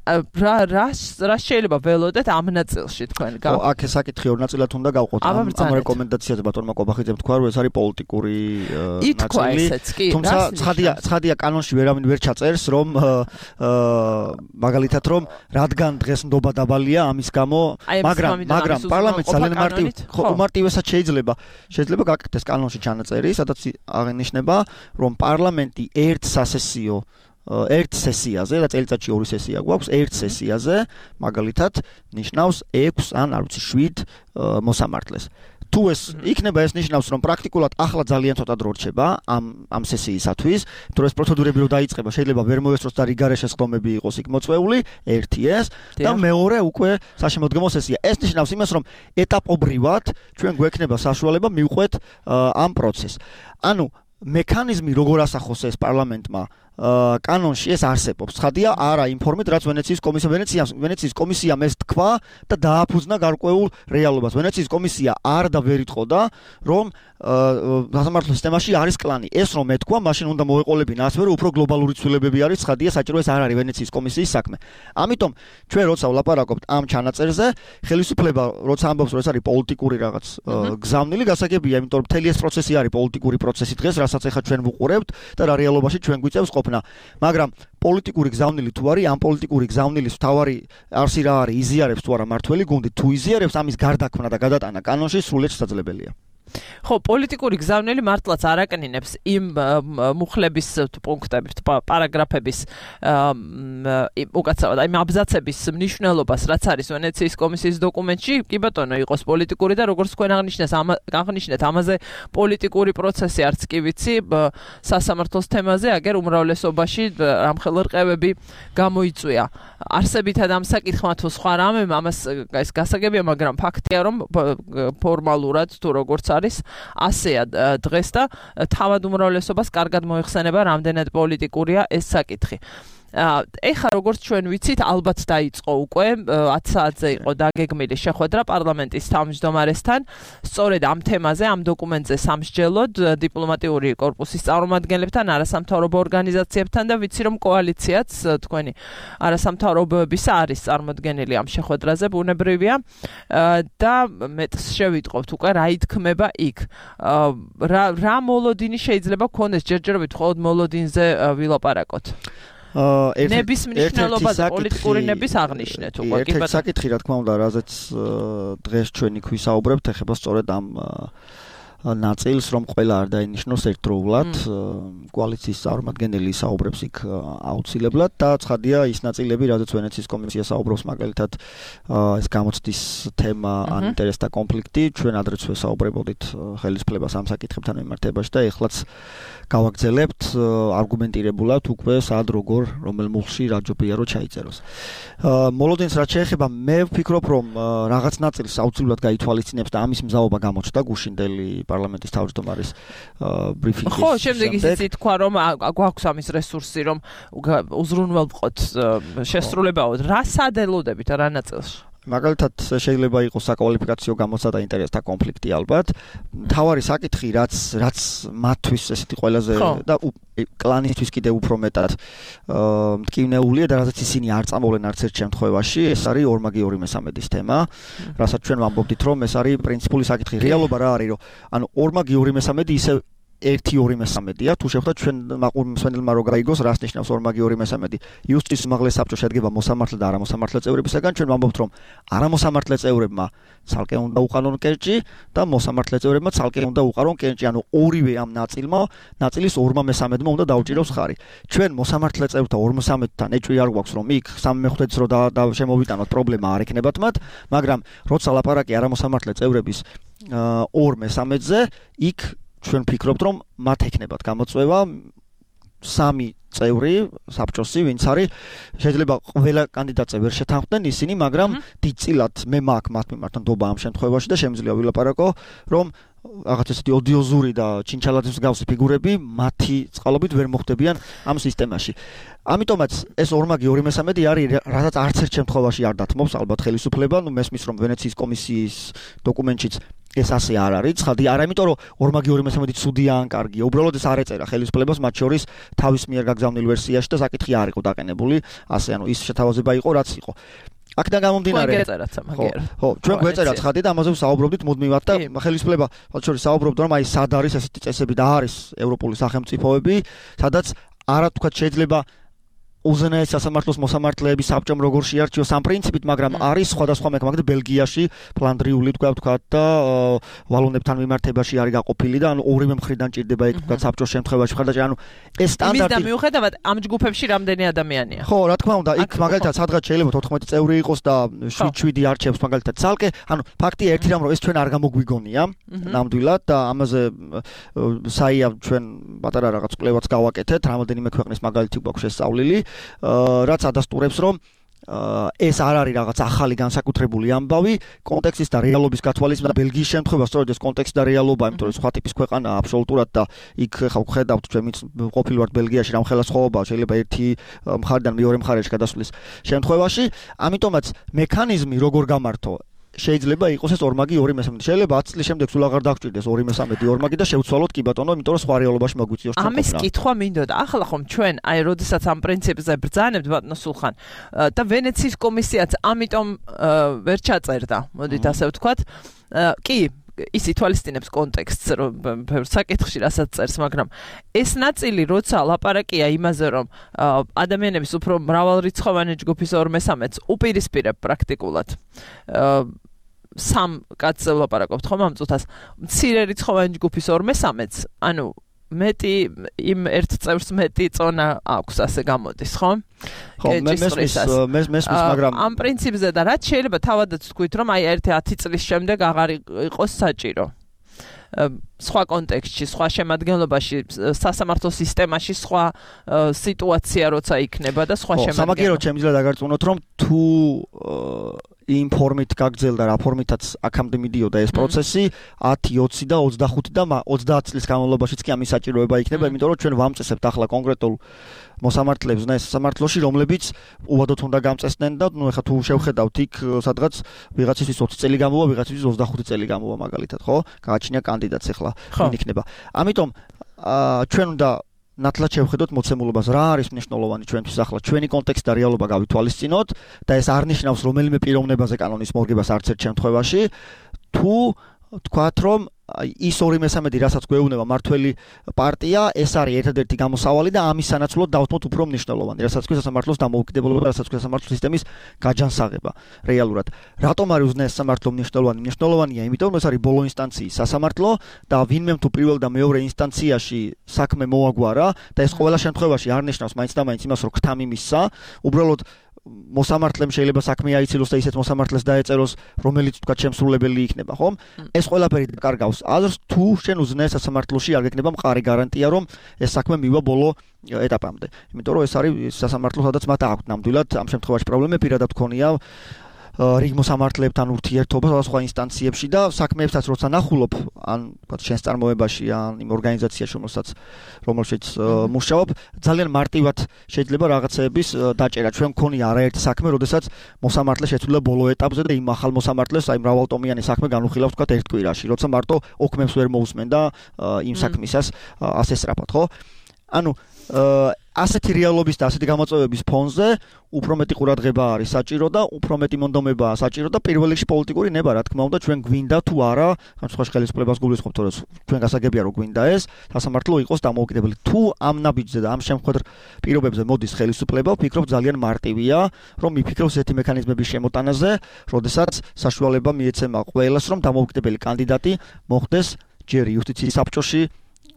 [SPEAKER 2] რა რა რა შეიძლება ველოდეთ ამ ნაწილში თქვენ
[SPEAKER 3] გა აქ ეს საკითხი ორ ნაწილად უნდა გავყოთ ამ ამ რეკომენდაციაზე ბატონმა კობახიძემ თქვა რომ ეს არის პოლიტიკური ნაწილი თუმცა ცხადია ცხადია კანონში ვერავინ ვერ ჩაწერს რომ მაგალითად რომ რადგან დღეს ნდობა დაბალია ამის გამო მაგრამ მაგრამ პარლამენტს ძალიან მარტივ უმარტივესად შეიძლება შეიძლება გაკეთდეს კანონში ჩანაწერი სადაც აღინიშნება რომ პარლამენტი ერთ სასესიო ერთ სესიაზე და წელიწადში ორი სესია გვაქვს ერთ სესიაზე მაგალითად ნიშნავს ექვს ან არ ვიცი შვიდ მოსამართლეს თუ ეს იქნება ეს ნიშნავს რომ პრაქტიკულად ახლა ძალიან ცოტა დრო რჩება ამ ამ სესიისათვის თუ ეს პროცედურები რო დაიწყება შეიძლება ვერ მოესწროს და რიგარეშე სხდომები იყოს იქ მოწვეული ერთი ეს და მეორე უკვე საშემოდგომო სესია ეს ნიშნავს იმას რომ ეტაპობრივად ჩვენ გვექნება საშუალება მივყვეთ ამ პროცესს ანუ მექანიზმი როგორ ასახოს ეს პარლამენტმა კანონში ეს არსებობს. ცხადია, არა ინფორმით, რაც ვენეციის კომისია ვენეცია ვენეციის კომისიამ ეს თქვა და დააფუძნა გარკვეულ რეალობას. ვენეციის კომისია არ და ვერ იტყოდა, რომ სასამართლო სისტემაში არის კლანი. ეს რომ ეთქვა, მაშინ უნდა მოეყოლებინა ასევე რომ უფრო გლობალური ცვლილებები არის, ცხადია, საჭირო ეს არ არის ვენეციის კომისიის საქმე. ამიტომ ჩვენ როცა ვლაპარაკობთ ამ ჩანაწერზე, ხელისუფლება როცა ამბობს, რომ ეს არის პოლიტიკური რაღაც გზავნილი, გასაგებია, იმიტომ რომ მთელი ეს პროცესი არის პოლიტიკური პროცესი დღეს, რასაც ახლა ჩვენ ვუყურებთ და რა რეალობაში ჩვენ გვიწევს ყოფნა. მაგრამ პოლიტიკური გზავნილი თუ არის, ამ პოლიტიკური გზავნილის თავარი არსი რა არის, იზიარებს თუ არა მართველი გუნდი, თუ იზიარებს, ამის გარდაქმნა და გადატანა კანონში სრულიად შესაძლებელია.
[SPEAKER 2] ხო, პოლიტიკური გზავნილი მართლაც არაკნინებს იმ მუხლების პუნქტების, პარაგრაფების უკაცრავად, აი აბზაცების მნიშვნელობას, რაც არის ვენეციის კომისიის დოკუმენტში, კი ბატონო, იყოს პოლიტიკური და როგორც თქვენ აღნიშნეთ, აღნიშნეთ ამაზე პოლიტიკური პროცესი არც კი ვიცი, სასამართლოს თემაზე, აგერ უმრავლესობაში რამხელა რყევები გამოიწვია. არსებითად ამ საკითხმა თუ სხვა რამე, ამას ეს გასაგებია, მაგრამ ფაქტია, რომ ფორმალურად თუ როგორც არის ასეა დღეს და თავად უმრავლესობას კარგად მოიხსენება რამდენად პოლიტიკურია ეს საკითხი. ეხლა როგორც ჩვენ ვიცით, ალბათ დაიწყო უკვე ათ საათზე იყო დაგეგმილი შეხვედრა პარლამენტის თავმჯდომარესთან. სწორედ ამ თემაზე, ამ დოკუმენტზე სამსჯელოდ დიპლომატიური კორპუსის წარმომადგენლებთან, არასამთავრობო ორგანიზაციებთან და ვიცი რომ კოალიციაც თქვენი არასამთავრობოების არის წარმოდგენილი ამ შეხვედრაზე, ბუნებრივია და მეტს შევიტყობთ უკვე რა ითქმება იქ. რა რა მოლოდინი შეიძლება გქონდეს ჯერჯერობით მხოლოდ მოლოდინზე ვილაპარაკოთ. ნების მნიშვნელობა და პოლიტიკური ნების აღნიშნეთ უკვე
[SPEAKER 3] კი ბატონო. საკითხი რა თქმა უნდა, რაზეც დღეს ჩვენ იქ ვისაუბრებთ, ეხება სწორედ ამ ნაწილს, რომ ყველა არ დაინიშნოს ერთდროულად, კოალიციის წარმომადგენელი საუბრებს იქ აუცილებლად და ცხადია ის ნაწილები, რადგან ვენეციის კომისია საუბრობს მაგალითად ეს გამოცდის თემა ან ინტერესთა კონფლიქტი, ჩვენ ადრეც ვესაუბრებოდით ხელისუფლებას ამ საკითხებთან მიმართებაში და ეხლაც გავაგრძელებთ არგუმენტირებულად უკვე სად როგორ რომელ მუხლში რა ჯობია რომ ჩაიწეროს. მოლოდინს რაც შეეხება, მე ვფიქრობ რომ რაღაც ნაწილს აუცილებლად გაითვალისწინებს და ამის მზაობა გამოჩნდა გუშინდელი პარლამენტის თავმჯდომარის ბრიფინგის.
[SPEAKER 2] ხო, შემდეგ ისიც თქვა რომ გვაქვს ამის რესურსი რომ უზრუნველყოთ შესრულებაოდ. რა სადელოდებით რა ნაწილში?
[SPEAKER 3] მაგალითად შეიძლება იყოს საკვალიფიკაციო გამოცდა და ინტერესთა კონფლიქტი ალბათ. თავარი საკითხი რაც რაც მათთვის ესეთი ყველაზე და კლანისთვის კიდევ უფრო მეტად მტკივნეულია და რასაც ისინი არ წამოვლენ არც ერთ შემთხვევაში, ეს არის ორმაგი ორი მესამედის თემა, რასაც ჩვენ ვამბობდით რომ ეს არის პრინციპული საკითხი. რეალობა რა არის, რომ ანუ ორმაგი ორი მესამედი ისე ერთი ორი მესამედია თუ შევხვდათ ჩვენ მაყურებელმა რო გაიგოს რას ნიშნავს ორმაგი ორი მესამედი იუსტის უმაღლეს საბჭო შედგება მოსამართლე და არამოსამართლე წევრებისაგან ჩვენ ვამბობთ რომ არამოსამართლე წევრებმა ცალკე უნდა უყარონ კენჭი და მოსამართლე წევრებმა ცალკე უნდა უყარონ კენჭი ანუ ორივე ამ ნაწილმა ნაწილის ორმა მესამედმა უნდა დაუჭიროს ხარი ჩვენ მოსამართლე წევრთა ორ მესამედთან ეჭვი არ გვაქვს რომ იქ სამი მეხუთეც რო და შემოვიტანოთ პრობლემა არ ექნებათ მათ მაგრამ როცა ლაპარაკი არამოსამართლე წევრების ორ მესამედზე იქ ჩვენ ფიქრობთ რომ მათ ექნებათ გამოწვევა სამი წევრი საბჭოსი ვინც არის შეიძლება ყველა კანდიდატზე ვერ შეთანხმდნენ ისინი მაგრამ დიდწილად მე მაქვს მათ მიმართ ნდობა ამ შემთხვევაში და შემიძლია ვილაპარაკო რომ რაღაც ესეთი ოდიოზური და ჩინჩალაძის მსგავსი ფიგურები მათი წყალობით ვერ მოხვდებიან ამ სისტემაში. ამიტომაც ეს ორმაგი ორი მესამედი არის რასაც არც ერთ შემთხვევაში არ დათმობს ალბათ ხელისუფლება, ნუ მესმის რომ ვენეციის კომისიის დოკუმენტშიც ეს ასე არ არის, ცხადი არა, იმიტომ რომ ორმაგი ორი მესამედი ცუდია ან კარგია. უბრალოდ ეს არ ეწერა ხელისუფლებას მათ შორის თავის მიერ გაგზავნილ ვერსიაში და საკითხი არ იყო დაყენებული, ასე ანუ ის შეთავაზება იყო რაც იყო. აქედან გამომდინარე ხო ჩვენ გვეწერა ცხადი და ამაზე ვსაუბრობდით მუდმივად და ხელისუფლება მათ შორის საუბრობდა რომ აი სად არის ესეთი წესები და არის ევროპული სახელმწიფოები სადაც არა თქვა შეიძლება უზენაეს სასამართლოს მოსამართლეების საბჭომ როგორ შეარჩიოს ამ პრინციპით, მაგრამ არის სხვადასხვა მექანიზმი ბელგიაში, ფლანდრიული თქვა თქვა და ვალონებთან მიმართებაში არის გაყოფილი და ანუ ორივე მხრიდან ჭირდება იქ თქვა საბჭოს შემთხვევაში ხარდაჭი, ანუ ეს სტანდარტი.
[SPEAKER 2] იმის და მიუხედავად ამ ჯგუფებში რამდენი ადამიანია?
[SPEAKER 3] ხო, რა თქმა უნდა, იქ მაგალითად სადღაც შეიძლება თოთხმეტი წევრი იყოს და შვიდ-შვიდი არჩევს მაგალითად ცალკე, ანუ ფაქტია ერთი რამ რომ ეს ჩვენ არ გამოგვიგონია ნამდვილად და ამაზე საია ჩვენ პატარა რაღაც კვლევაც გავაკეთეთ, რამოდენიმე ქვეყნის მაგალითი გვაქვს შესწავლილი. რაც ადასტურებს რომ ეს არ არის რაღაც ახალი განსაკუთრებული ამბავი კონტექსტის და რეალობის გათვალისწინებით და ბელგიის შემთხვევა სწორედ ეს კონტექსტი და რეალობა, იმიტომ რომ სხვა ტიპის ქვეყანაა აბსოლუტურად და იქ ხა ვხედავთ ჩვენც ყოფილვართ ბელგიაში რამ ხელასხოვებაა შეიძლება ერთი მხარიდან მეორე მხარეში გადასვლის შემთხვევაში, ამიტომაც მექანიზმი როგორ გამართო შეიძლება იყოს ეს ორმაგი ორი მესამედი. შეიძლება ათი წლის შემდეგ სულ აღარ დაგჭირდეს ორი მესამედი ორმაგი და შევცვალოთ კი ბატონო, იმიტომ რომ სხვა რეალობაში მოგვიწიოს ჩვენ.
[SPEAKER 2] ამის კითხვა მინდოდა. ახლა ხომ ჩვენ აი როდესაც ამ პრინციპზე ბრძანებთ ბატონო სულხან და ვენეციის კომისიაც ამიტომ ვერ ჩაწერდა, მოდით ასე ვთქვათ. კი ის ითვალისწინებს კონტექსტს რომ ბევრ საკითხში რასაც წერს, მაგრამ ეს ნაწილი როცა ლაპარაკია იმაზე რომ ადამიანების უფრო მრავალრიცხოვანი ჯგუფის ორ მესამედს უპირისპირებ პრაქტიკულად სამ კაცზე ლაპარაკობთ ხომ ამ წუთას მცირე რიცხოვანი ჯგუფის ორ მესამედს, ანუ მეტი იმ ერთ წევრს მეტი წონა აქვს ასე გამოდის, ხო?
[SPEAKER 3] ხო, მე მესმის მე მესმის მაგრამ
[SPEAKER 2] ამ პრინციპზე და რაც შეიძლება თავადაც თქვით რომ აი ერთი ათი წლის შემდეგ აღარ იყოს საჭირო. სხვა კონტექსტში, სხვა შემადგენლობაში, სასამართლო სისტემაში სხვა სიტუაცია როცა იქნება და სხვა შემადგენლობა.
[SPEAKER 3] სამაგიეროდ შემიძლია დაგარწმუნოთ რომ თუ იმ ფორმით გაგრძელდა რა ფორმითაც აქამდე მიდიოდა ეს პროცესი ათი, ოცი და ოცდახუთი და ოცდაათი წლის განმავლობაშიც კი ამის საჭიროება იქნება, იმიტომ რომ ჩვენ ვამწესებთ ახლა კონკრეტულ მოსამართლეებს და ეს სამართლოში, რომლებიც უვადოთ უნდა გამწესდნენ და ნუ ეხლა თუ შევხედავთ იქ სადღაც ვიღაცისთვის ოცი წელი გამოვა, ვიღაცისთვის ოცდახუთი წელი გამოვა მაგალითად, ხო? გააჩნია კანდიდატს ეხლა ვინ იქნება. ამიტომ ჩვენ უნდა ნათლად შევხედოთ მოცემულობას, რა არის მნიშვნელოვანი ჩვენთვის ახლა ჩვენი კონტექსტი და რეალობა გავითვალისწინოთ და ეს არ ნიშნავს რომელიმე პიროვნებაზე კანონის მორგებას არც ერთ შემთხვევაში, თუ თქვათ რომ ის ორი მესამედი რასაც გვეუბნება მართველი პარტია, ეს არის ერთადერთი გამოსავალი და ამის სანაცვლოდ დავთმოთ უფრო მნიშვნელოვანი, რასაც ქვია სასამართლოს დამოუკიდებლობა, რასაც ქვია სასამართლო სისტემის გაჯანსაღება რეალურად. რატომ არის უზენაეს სასამართლო მნიშვნელოვანი? მნიშვნელოვანია, იმიტომ რომ ეს არის ბოლო ინსტანციის სასამართლო და ვინმე თუ პირველ და მეორე ინსტანციაში საქმე მოაგვარა და ეს ყოველ შემთხვევაში არ ნიშნავს მაინც და მაინც იმას, რომ ქთა მიმისცა, უბრალოდ მოსამართლემ შეიძლება საქმე აიცილოს და ისეთ მოსამართლეს დაეწეროს, რომელიც თქვა შემსრულებელი იქნება, ხო? ეს ყველაფერი დაკარგავს აზრს, თუ შენ უზენაეს სასამართლოში არ გექნება მყარი გარანტია, რომ ეს საქმე მივა ბოლო ეტაპამდე. იმიტომ რომ ეს არის სასამართლო, სადაც მათ აქვს ნამდვილად ამ შემთხვევაში პრობლემები, პირადად გქონია რიგ მოსამართლეებთან ურთიერთობა სხვა ინსტანციებში და საქმეებსაც როცა ნახულობ, ან ვთქვათ შენს წარმოებაში, ან იმ ორგანიზაციაში, რომელსაც რომელშიც მუშაობ, ძალიან მარტივად შეიძლება რაღაცეების დაჭერა. ჩვენ მქონია არაერთი საქმე, როდესაც მოსამართლე შეცვლილა ბოლო ეტაპზე და იმ ახალ მოსამართლეს აი მრავალტომიანი საქმე განუხილავს ვთქვათ ერთ კვირაში, როცა მარტო ოქმებს ვერ მოусმენ და იმ საქმისას ასე სწრაფად, ხო? ანუ ასეთი რეალობის და ასეთი გამოწვევების ფონზე უფრო მეტი ყურადღება არის საჭირო და უფრო მეტი მონდომებაა საჭირო და პირველ რიგში პოლიტიკური ნება, რა თქმა უნდა, ჩვენ გვინდა თუ არა, ამ სხვა ხელისუფლებას გულისხმობთ, რომ ჩვენ გასაგებია რომ გვინდა ეს, სასამართლო იყოს დამოუკიდებელი. თუ ამ ნაბიჯზე და ამ შემთხვევით პირობებზე მოდის ხელისუფლება, ვფიქრობ ძალიან მარტივია, რომ მიფიქროს ესეთი მექანიზმების შემოტანაზე, როდესაც საშუალება მიეცემა ყველას, რომ დამოუკიდებელი კანდიდატი მოხდეს ჯერ იუსტიციის საბჭოში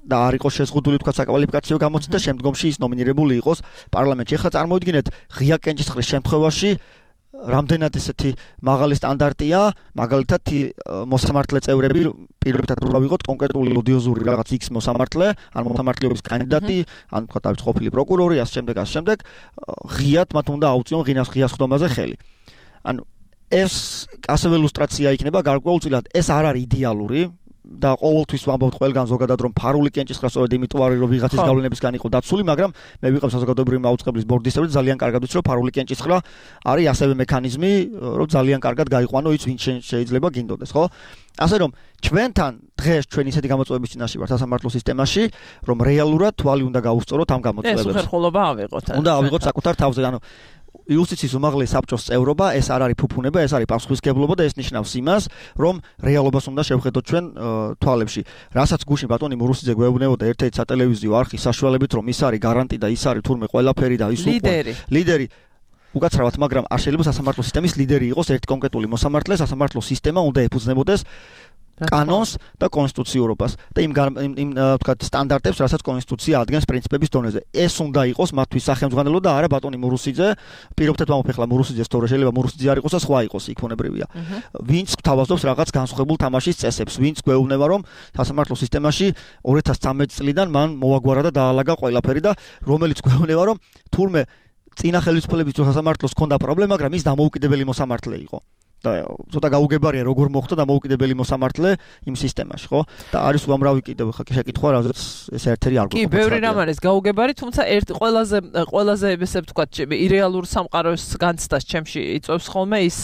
[SPEAKER 3] და არ იყოს შეზღუდული თქვა საკვალიფიკაციო გამოცდა და შემდგომში ის ნომინირებული იყოს პარლამენტში. ეხლა წარმოიდგინეთ ღია კენჭისყრის შემთხვევაში რამდენად ესეთი მაღალი სტანდარტია, მაგალითად მოსამართლე წევრები პირობითად უნდა ვიყოთ კონკრეტული ოდიოზური რაღაც X მოსამართლე, ან მოსამართლეობის კანდიდატი, ან თქვა თავის ყოფილი პროკურორი, ასე შემდეგ, ასე შემდეგ, ღიად მათ უნდა აუწიონ ღინას ღიას ხდომაზე ხელი. ანუ ეს ასევე ილუსტრაცია იქნება გარკვეულწილად, ეს არ არის იდეალური და ყოველთვის ვამბობთ ყველგან ზოგადად რომ ფარული კენჭისყრა სწორედ იმიტომ არის რომ ვიღაცის გავლენებისგან იყო დაცული, მაგრამ მე ვიყავ საზოგადოებრივი მაუწყებლის ბორდის წევრი, ძალიან კარგად ვიცი რომ ფარული კენჭისყრა არის ასევე მექანიზმი, რომ ძალიან კარგად გაიყვანო ის ვინ შეიძლება გინდოდეს, ხო? ასე რომ ჩვენთან დღეს ჩვენ ისეთი გამოწვევების წინაშე ვართ სასამართლო სისტემაში, რომ რეალურად თვალი უნდა გაუსწოროთ ამ გამოწვევებს.
[SPEAKER 2] ეს უხერხულობა ავიღოთ.
[SPEAKER 3] უნდა ავიღოთ საკუთარ თავზე, ანუ იუსტიციის უმაღლესი საბჭოს წევრობა, ეს არ არის ფუფუნება, ეს არის პასუხისმგებლობა და ეს ნიშნავს იმას, რომ რეალობას უნდა შევხედოთ ჩვენ თვალებში. რასაც გუშინ ბატონი მურუსიძე გვეუბნებოდა ერთ-ერთი სატელევიზიო არხის საშუალებით, რომ ის არის გარანტი და ის არის თურმე ყველაფერი და ის
[SPEAKER 2] ლიდერი.
[SPEAKER 3] ლიდერი უკაცრავად, მაგრამ არ შეიძლება სასამართლო სისტემის ლიდერი იყოს ერთი კონკრეტული მოსამართლე, სასამართლო სისტემა უნდა ეფუძნებოდეს კანონს და კონსტიტუციურობას და იმ იმ თქვა სტანდარტებს, რასაც კონსტიტუცია ადგენს პრინციპების დონეზე. ეს უნდა იყოს მათთვის სახელმძღვანელო და არა ბატონი მურუსიძე. პირობითად ვამბობ, მურუსიძეს თორე შეიძლება მურუსიძე არ იყოს და სხვა იყოს, იქ უნებრებია. ვინც თავაზობს რაღაც განსხვავებულ თამაშის წესებს, ვინც გვეუბნება, რომ სასამართლო სისტემაში ორი ათას ცხრამეტი წლიდან მან მოაგვარა და დაალაგა ყველაფერი და რომელიც გვეუბნება, რომ თურმე წინა ხელისუფლების სასამართლოს ჰქონდა პრობლემა, მაგრამ ის დამოუკიდებელი მოსამართლე იყო. და ცოტა გაუგებარია როგორ მოხდა დამოუკიდებელი მოსამართლე იმ სისტემაში, ხო? და არის უამრავი კიდევ შეკითხვა, რაზეც ეს ერთ-ერთი არ გვაქვს.
[SPEAKER 2] კი, ბევრი რამ არის გაუგებარი, თუმცა ერთ ყველაზე ყველაზე ესე ვთქვათ, ირეალურ სამყაროს განცდას ჩემში იწვევს ხოლმე ის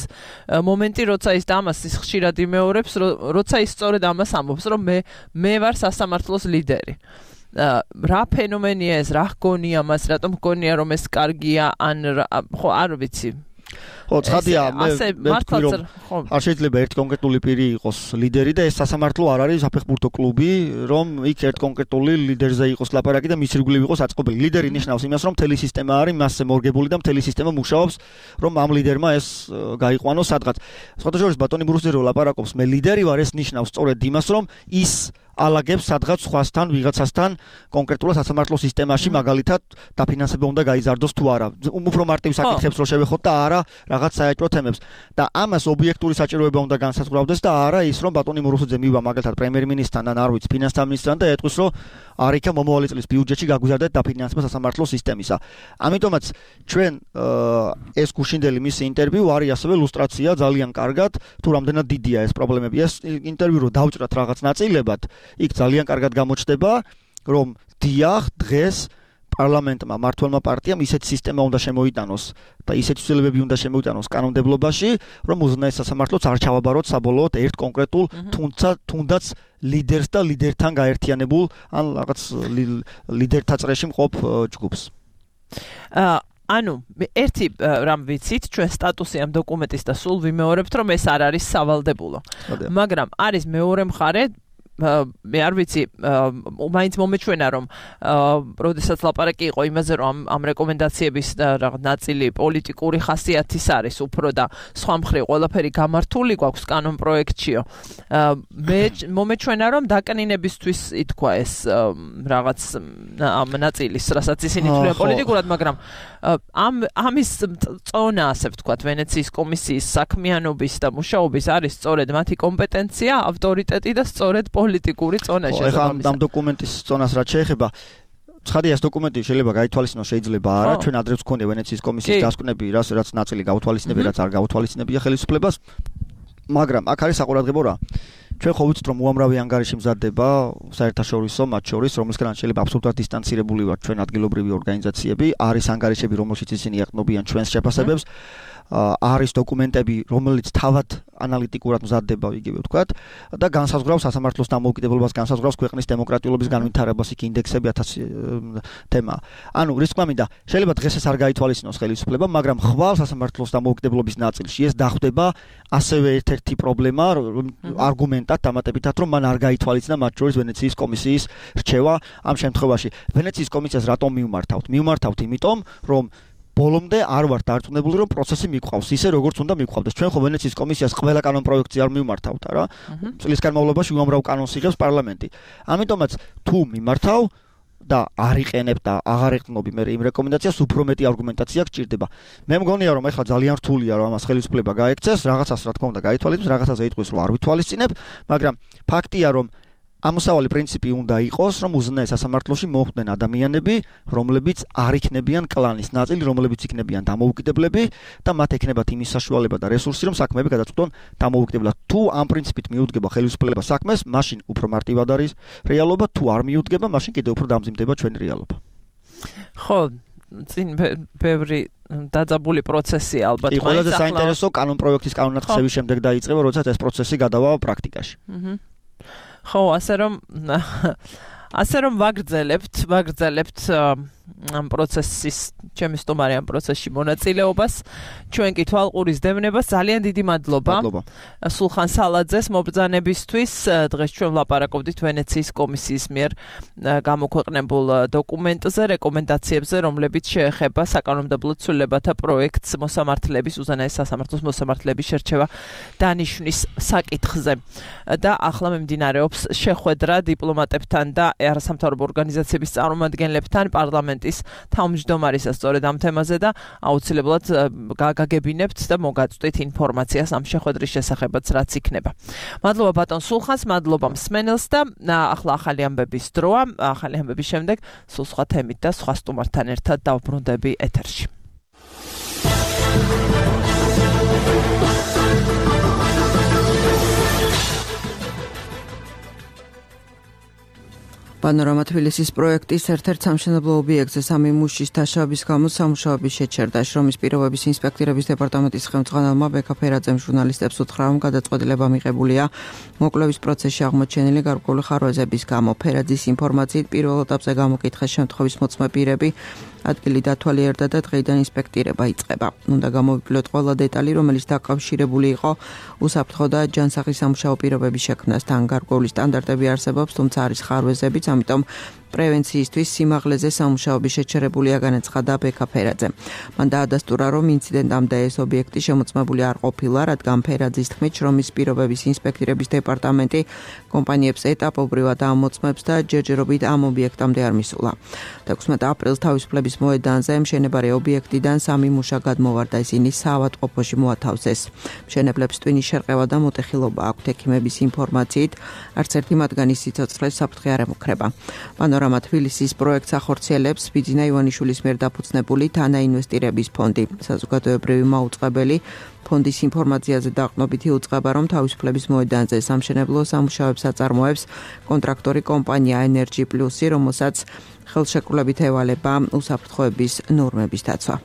[SPEAKER 2] მომენტი, როცა ის ამას ის ხშირად იმეორებს, როცა ის სწორედ ამას ამბობს, რომ მე მე ვარ სასამართლოს ლიდერი. რა ფენომენია ეს, რა ჰგონია მას, რატომ ჰგონია რომ ეს კარგია, ან ხო არ ვიცი.
[SPEAKER 3] ხო, ცხადია, მე ვთქვი რომ არ შეიძლება ერთი კონკრეტული პირი იყოს ლიდერი და ეს სასამართლო არ არის საფეხბურთო კლუბი, რომ იქ ერთ კონკრეტული ლიდერზე იყოს ლაპარაკი და მის ირგვლივ იყოს აწყობილი. ლიდერი ნიშნავს იმას, რომ მთელი სისტემა არის მასზე მორგებული და მთელი სისტემა მუშაობს, რომ ამ ლიდერმა ეს გაიყვანოს სადღაც. სხვათა შორის ბატონი მურუსიძე რო ლაპარაკობს, მე ლიდერი ვარ, ეს ნიშნავს სწორედ იმას, რომ ის ალაგებს სადღაც სხვასთან, ვიღაცასთან კონკრეტულად სასამართლო სისტემაში, მაგალითად, დაფინანსება უნდა გაიზარდოს თუ არა. უფრო მარტივ საკითხებს რო შევეხოთ და არა რაღაც საეჭვო თემებს. და ამას ობიექტური საჭიროება უნდა განსაზღვრავდეს და არა ის, რომ ბატონი მურუსიძე მივა მაგალითად პრემიერ-მინისტრთან ან არ ვიცი, ფინანსთა მინისტრთან და ეტყვის, რომ არ იქა მომავალი წლის ბიუჯეტში გაგვიზარდეთ დაფინანსება სასამართლო სისტემისა. ამიტომაც ჩვენ ეს გუშინდელი მისი ინტერვიუ არის ასევე ილუსტრაცია ძალიან კარგად, თუ რამდენად დიდია ეს პრობლემები. ეს ინტერვიუ რო დავჭრათ რაღაც ნაწილებად, იქ ძალიან კარგად გამოჩნდება, რომ დიახ, დღეს პარლამენტმა, მმართველმა პარტიამ ისეთი სისტემა უნდა შემოიტანოს და ისეთი ცვლილებები უნდა შემოიტანოს კანონმდებლობაში, რომ უზენაეს სასამართლოც არ ჩავაბაროთ საბოლოოდ ერთ კონკრეტულ, თუმცა თუნდაც ლიდერს და ლიდერთან გაერთიანებულ ან რაღაც ლიდერთა წრეში მყოფ ჯგუფს.
[SPEAKER 2] აა ანუ ერთი რამ ვიცით, ჩვენ სტატუსი ამ დოკუმენტის და სულ ვიმეორებთ, რომ ეს არ არის სავალდებულო. მაგრამ არის მეორე მხარე, მე არ ვიცი, მაინც მომეჩვენა, რომ როდესაც ლაპარაკი იყო იმაზე, რომ ამ რეკომენდაციების რაღაც ნაწილი პოლიტიკური ხასიათის არის უფრო და სხვა მხრივ ყველაფერი გამართული გვაქვს კანონ პროექტშიო. მე მომეჩვენა, რომ დაკნინებისთვის ითქვა ეს რაღაც ამ ნაწილის, რასაც ისინი თვლიან პოლიტიკურად, მაგრამ ამ ამის წონა, ასე ვთქვათ, ვენეციის კომისიის საქმიანობის და მუშაობის არის სწორედ მათი კომპეტენცია, ავტორიტეტი და სწორედ პოლიტიკური წონა
[SPEAKER 3] შესაბამისად. ამ დოკუმენტის წონას რაც შეეხება, ცხადია ეს დოკუმენტი შეიძლება გაითვალისწინოს, შეიძლება არა. ჩვენ ადრეც გქონია ვენეციის კომისიის დასკვნები, რაც რაც ნაწილი გაუთვალისწინებია, რაც არ გაუთვალისწინებია ხელისუფლებას. მაგრამ აქ არის საყურადღებო რა. ჩვენ ხო ვიცით რომ უამრავი ანგარიში მზადდება საერთაშორისო მათ შორის რომელსგან შეიძლება აბსოლუტურად დისტანცირებული ვართ ჩვენ ადგილობრივი ორგანიზაციები არის ანგარიშები რომელშიც ისინი ეყნობიან ჩვენს შეფასებებს არის დოკუმენტები რომელიც თავად ანალიტიკურად მზადდება იგივე ვთქვათ და განსაზღვრავს სასამართლოს დამოუკიდებლობას განსაზღვრავს ქვეყნის დემოკრატიულობის განვითარებას იქ ინდექსები ათასი თემა. ანუ რის თქმა მინდა შეიძლება დღეს ეს არ გაითვალისწინოს ხელისუფლება მაგრამ ხვალ სასამართლოს დამოუკიდებლობის ნაწილში ეს დახვდება ასევე ერთ-ერთი პრობლემა არგუმენტად დამატებითად რომ მან არ გაითვალისწინა მათ შორის ვენეციის კომისიის რჩევა ამ შემთხვევაში ვენეციის კომისიას რატომ მივმართავთ მივმართავთ იმიტომ რომ ბოლომდე არ ვართ დარწმუნებული რომ პროცესი მიყვავს ისე როგორც უნდა მიყვავდეს. ჩვენ ხო ვენეციის კომისიას ყველა კანონ პროექტი არ მივმართავთ რა. წლის განმავლობაში უამრავ კანონს იღებს პარლამენტი. ამიტომაც თუ მიმართავ და არ იყენებ და აღარ ეყნობი მე იმ რეკომენდაციას უფრო მეტი არგუმენტაცია გჭირდება. მე მგონია რომ ეხლა ძალიან რთულია რომ ამას ხელისუფლება გაექცეს, რაღაცას რა თქმა უნდა გაითვალისწინებს, რაღაცაზე იტყვის რომ არ ვითვალისწინებ, მაგრამ ფაქტია რომ ამოსავალი პრინციპი უნდა იყოს, რომ უზენაეს სასამართლოში მოხვდნენ ადამიანები, რომლებიც არ იქნებიან კლანის ნაწილი, რომლებიც იქნებიან დამოუკიდებლები და მათ ექნებათ იმის საშუალება და რესურსი, რომ საქმეები გადაწყვეტონ დამოუკიდებლად. თუ ამ პრინციპით მიუდგება ხელისუფლება საქმეს, მაშინ უფრო მარტივად არის რეალობა, თუ არ მიუდგება, მაშინ კიდევ უფრო დამძიმდება ჩვენი რეალობა.
[SPEAKER 2] ხო, წინ ბევრი დაძაბული პროცესი ალბათ
[SPEAKER 3] მაინც. ყველაზე საინტერესო კანონ პროექტის კანონატყისების შემდეგ დაიწყება, როდესაც ეს პროცესი გადავა პრაქტიკაში.
[SPEAKER 2] აჰა. ხო, ასე რომ ასე რომ ვაგრძელებთ, ვაგრძელებთ ამ პროცესის, ჩემი სტუმარი ამ პროცესში მონაწილეობას, ჩვენ კი თვალყურის დევნებას ძალიან დიდი მადლობა. სულხან სალაძეს მობრძანებისთვის დღეს ჩვენ ვლაპარაკობდით ვენეციის კომისიის მიერ გამოქვეყნებულ დოკუმენტზე, რეკომენდაციებზე, რომლებიც შეეხება საკანონმდებლო ცვლილებათა პროექტს მოსამართლეების უზენაეს სასამართლოს მოსამართლეების შერჩევა დანიშვნის საკითხზე. და ახლა მიმდინარეობს შეხვედრა დიპლომატებთან და არასამთავრობო ორგანიზაციების წარმომადგენლებთან პარლამენტის თავმჯდომარისა სწორედ ამ თემაზე და აუცილებლად გაგაგებინებთ და მოგაწვდით ინფორმაციას ამ შეხვედრის შესახებაც რაც იქნება. მადლობა ბატონ სულხანს, მადლობა მსმენელს და ახლა ახალი ამბების დროა, ახალი ამბების შემდეგ სულ სხვა თემით და სხვა სტუმართან ერთად დავბრუნდები ეთერში.
[SPEAKER 5] პანორამა თბილისის პროექტის ერთ-ერთ სამშენებლო ობიექტზე სამი მუშის დაშავების გამო სამუშაოები შეჩერდა. შრომის პირობების ინსპექტორების დეპარტამენტის ხელმძღვანელმა ბექა ფერაძემ ჟურნალისტებს უთხრა, რომ გადაწყვეტილება მიღებულია მოკლების პროცესში აღმოჩენილი გარკვეული ხარვეზების გამო. ფერაძის ინფორმაციით პირველ ეტაპზე გამოკითხეს შემთხვევის მოწმე პირები, ადგილი დათვალიერდა და დღეიდან ინსპექტირება იწყება. უნდა გამოვიკლოთ ყველა დეტალი, რომელიც დაკავშირებული იყო უსაფრთხო და ჯანსაღი სამუშაო პირობების შექმნასთან. გარკვეული სტანდარტები არსებობს, თუმცა არის ხარვეზებიც, ამიტომ პრევენციისთვის სიმაღლეზე სამუშაოები შეჩერებულია, განაცხადა ბექა ფერაძემ. მან დაადასტურა, რომ ინციდენტამდე ეს ობიექტი შემოწმებული არ ყოფილა, რადგან ფერაძის თქმით, შრომის პირობების ინსპექტორების დეპარტამენტი კომპანიებს ეტაპობრივად ამოწმებს და ჯერჯერობით ამ ობიექტამდე არ მისულა. ექვსმეტ აპრილს თავისუფლების მოედანზე მშენებარე ობიექტიდან სამი მუშა გადმოვარდა, ისინი საავადმყოფოში მოათავსეს. მშენებლებს ტვინის შერყევა და მოტეხილობა აქვთ. ექიმების ინფორმაციით, არც ერთი მათგანის სიცოცხლეს საფრთხე არ ემუქრება. პანორამა თბილისის პროექტს ახორციელებს ბიძინა ივანიშვილის მიერ დაფუძნებული თანაინვესტირების ფონდი. საზოგადოებრივი მაუწყებელი ფონდის ინფორმაციაზე დაყრდნობით იუწყება, რომ თავისუფლების მოედანზე სამშენებლო სამუშაოებს აწარმოებს კონტრაქტორი კომპანია Energy Plus, რომელსაც ხელშეკრულებით ევალება უსაფრთხოების ნორმების დაცვა.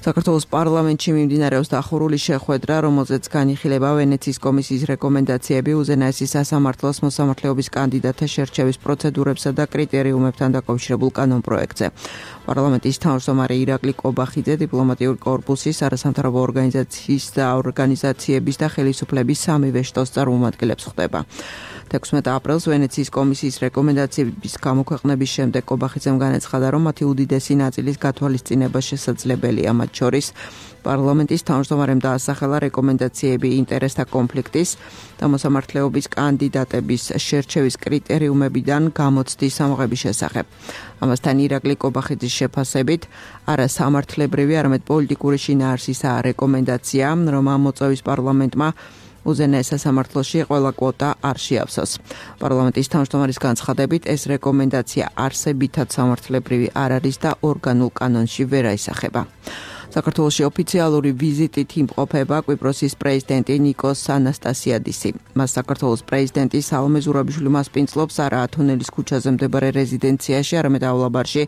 [SPEAKER 5] საქართველოს პარლამენტში მიმდინარეობს დახურული შეხვედრა, რომელზეც განიხილება ვენეციის კომისიის რეკომენდაციები უზენაესი სასამართლოს მოსამართლეობის კანდიდატთა შერჩევის პროცედურებსა და კრიტერიუმებთან დაკავშირებულ კანონპროექტზე. პარლამენტის თავმჯდომარე ირაკლი კობახიძე დიპლომატიური კორპუსის, არასამთავრობო ორგანიზაციის და ორგანიზაციების და ხელისუფლების სამივე შტოს წარმომადგენლებს ხვდება. ექვსმეტ აპრილს ვენეციის კომისიის რეკომენდაციების გამოქვეყნების შემდეგ კობახიძემ განაცხადა, რომ მათი უდიდესი ნაწილის გათვალისწინება შესაძლებელია, მათ შორის პარლამენტის თავმჯდომარემ დაასახელა რეკომენდაციები ინტერესთა კონფლიქტის და მოსამართლეობის კანდიდატების შერჩევის კრიტერიუმებიდან გამოცდის ამოღების შესახებ. ამასთან ირაკლი კობახიძის შეფასებით არასამართლებრივი, არამედ პოლიტიკური შინაარსისაა რეკომენდაცია, რომ ამ მოწვევის პარლამენტმა უზენაეს სასამართლოში ყველა კვოტა არ შეავსოს. პარლამენტის თავმჯდომარის განცხადებით, ეს რეკომენდაცია არსებითად სამართლებრივი არ არის და ორგანულ კანონში ვერ აისახება. საქართველოში ოფიციალური ვიზიტით იმყოფება კვიპროსის პრეზიდენტი ნიკოს ანასტასიადისი. მას საქართველოს პრეზიდენტი სალომე ზურაბიშვილი მასპინძლობს არა ათონელის ქუჩაზე მდებარე რეზიდენციაში, არამედ აულაბარში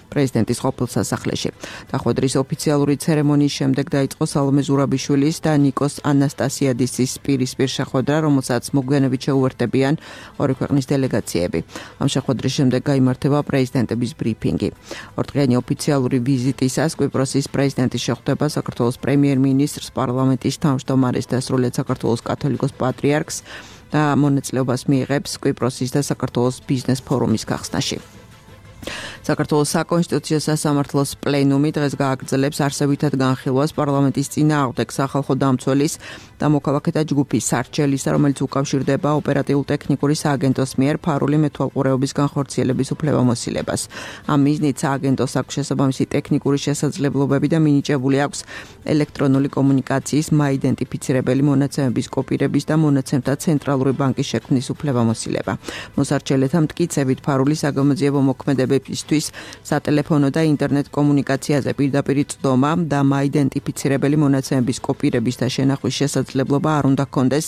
[SPEAKER 5] პრეზიდენტის ყოფილ სასახლეში. დახვედრის ოფიციალური ცერემონიის შემდეგ დაიწყო სალომე ზურაბიშვილის და ნიკოს ანასტასიადისის პირისპირ შეხვედრა, რომელსაც მოგვიანებით შეუერთებიან ორი ქვეყნის დელეგაციები. ამ შეხვედრის შემდეგ გაიმართება პრეზიდენტების ბრიფინგი. ორდღიანი ოფიციალური ვიზიტისას კვიპროსის პრეზიდენტი შეხვდება საქართველოს პრემიერ-მინისტრს, პარლამენტის თავმჯდომარეს და სრულიად საქართველოს კათოლიკოს პატრიარქს და მონაწილეობას მიიღებს კვიპროსის და საქართველოს ბიზნეს ფორუმის გახსნაში. საქართველოს საკონსტიტუციო სასამართლოს პლენუმი დღეს გააგრძელებს არსებითად განხილვას პარლამენტის წინააღმდეგ სახალხო დამცველის და მოქალაქეთა ჯგუფის სარჩელისა, რომელიც უკავშირდება ოპერატიულ-ტექნიკური სააგენტოს მიერ ფარული მეთვალყურეობის განხორციელების უფლებამოსილებას. ამ მიზნით სააგენტოს აქვს შესაბამისი ტექნიკური შესაძლებლობები და მინიჭებული აქვს ელექტრონული კომუნიკაციის მაიდენტიფიცირებელი მონაცემების კოპირების და მონაცემთა ცენტრალური ბანკის შექმნის უფლებამოსილება. მოსარჩელეთა მტკიცებით ფარული საგამოძიებო მოქმედებებისთვის სატელეფონო და ინტერნეტ კომუნიკაციაზე პირდაპირ წვდომა და მაიდენტიფიცირებელი მონაცემების კოპირების და შენახვის შესაძლებლობა არ უნდა ჰქონდეს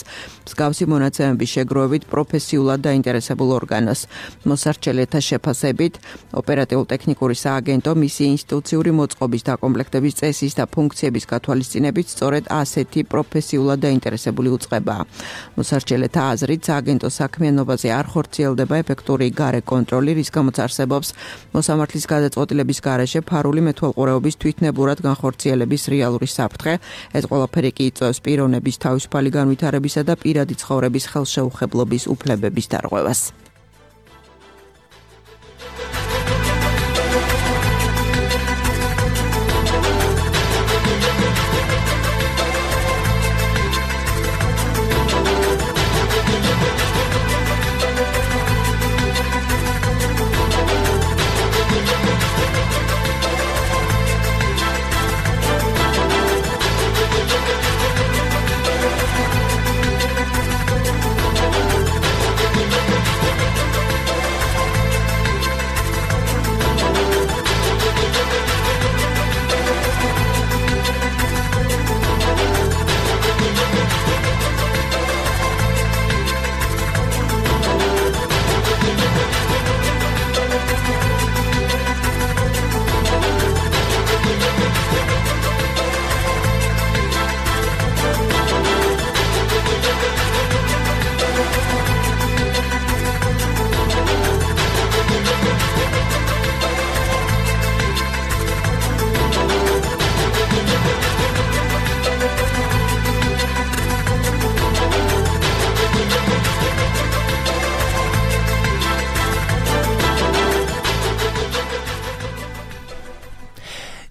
[SPEAKER 5] მსგავსი მონაცემების შეგროვებით პროფესიულად დაინტერესებულ ორგანოს. მოსარჩელეთა შეფასებით ოპერატიულ-ტექნიკური სააგენტო მისი ინსტიტუციური მოწყობის დაკომპლექტების წესის და ფუნქციების გათვალისწინებით სწორედ ასეთი პროფესიულად დაინტერესებული უწყებაა. მოსარჩელეთა აზრით სააგენტოს საქმიანობაზე არ ხორციელდება ეფექტური გარე კონტროლი, რის გამოც არსებობს მოსამართლის გადაწყვეტილების გარეშე ფარული მეთვალყურეობის თვითნებურად განხორციელების რეალური საფრთხე. ეს ყველაფერი კი იწვევს პიროვნების თავისუფალი განვითარებისა და პირადი ცხოვრების ხელშეუხებლობის უფლებების დარღვევას.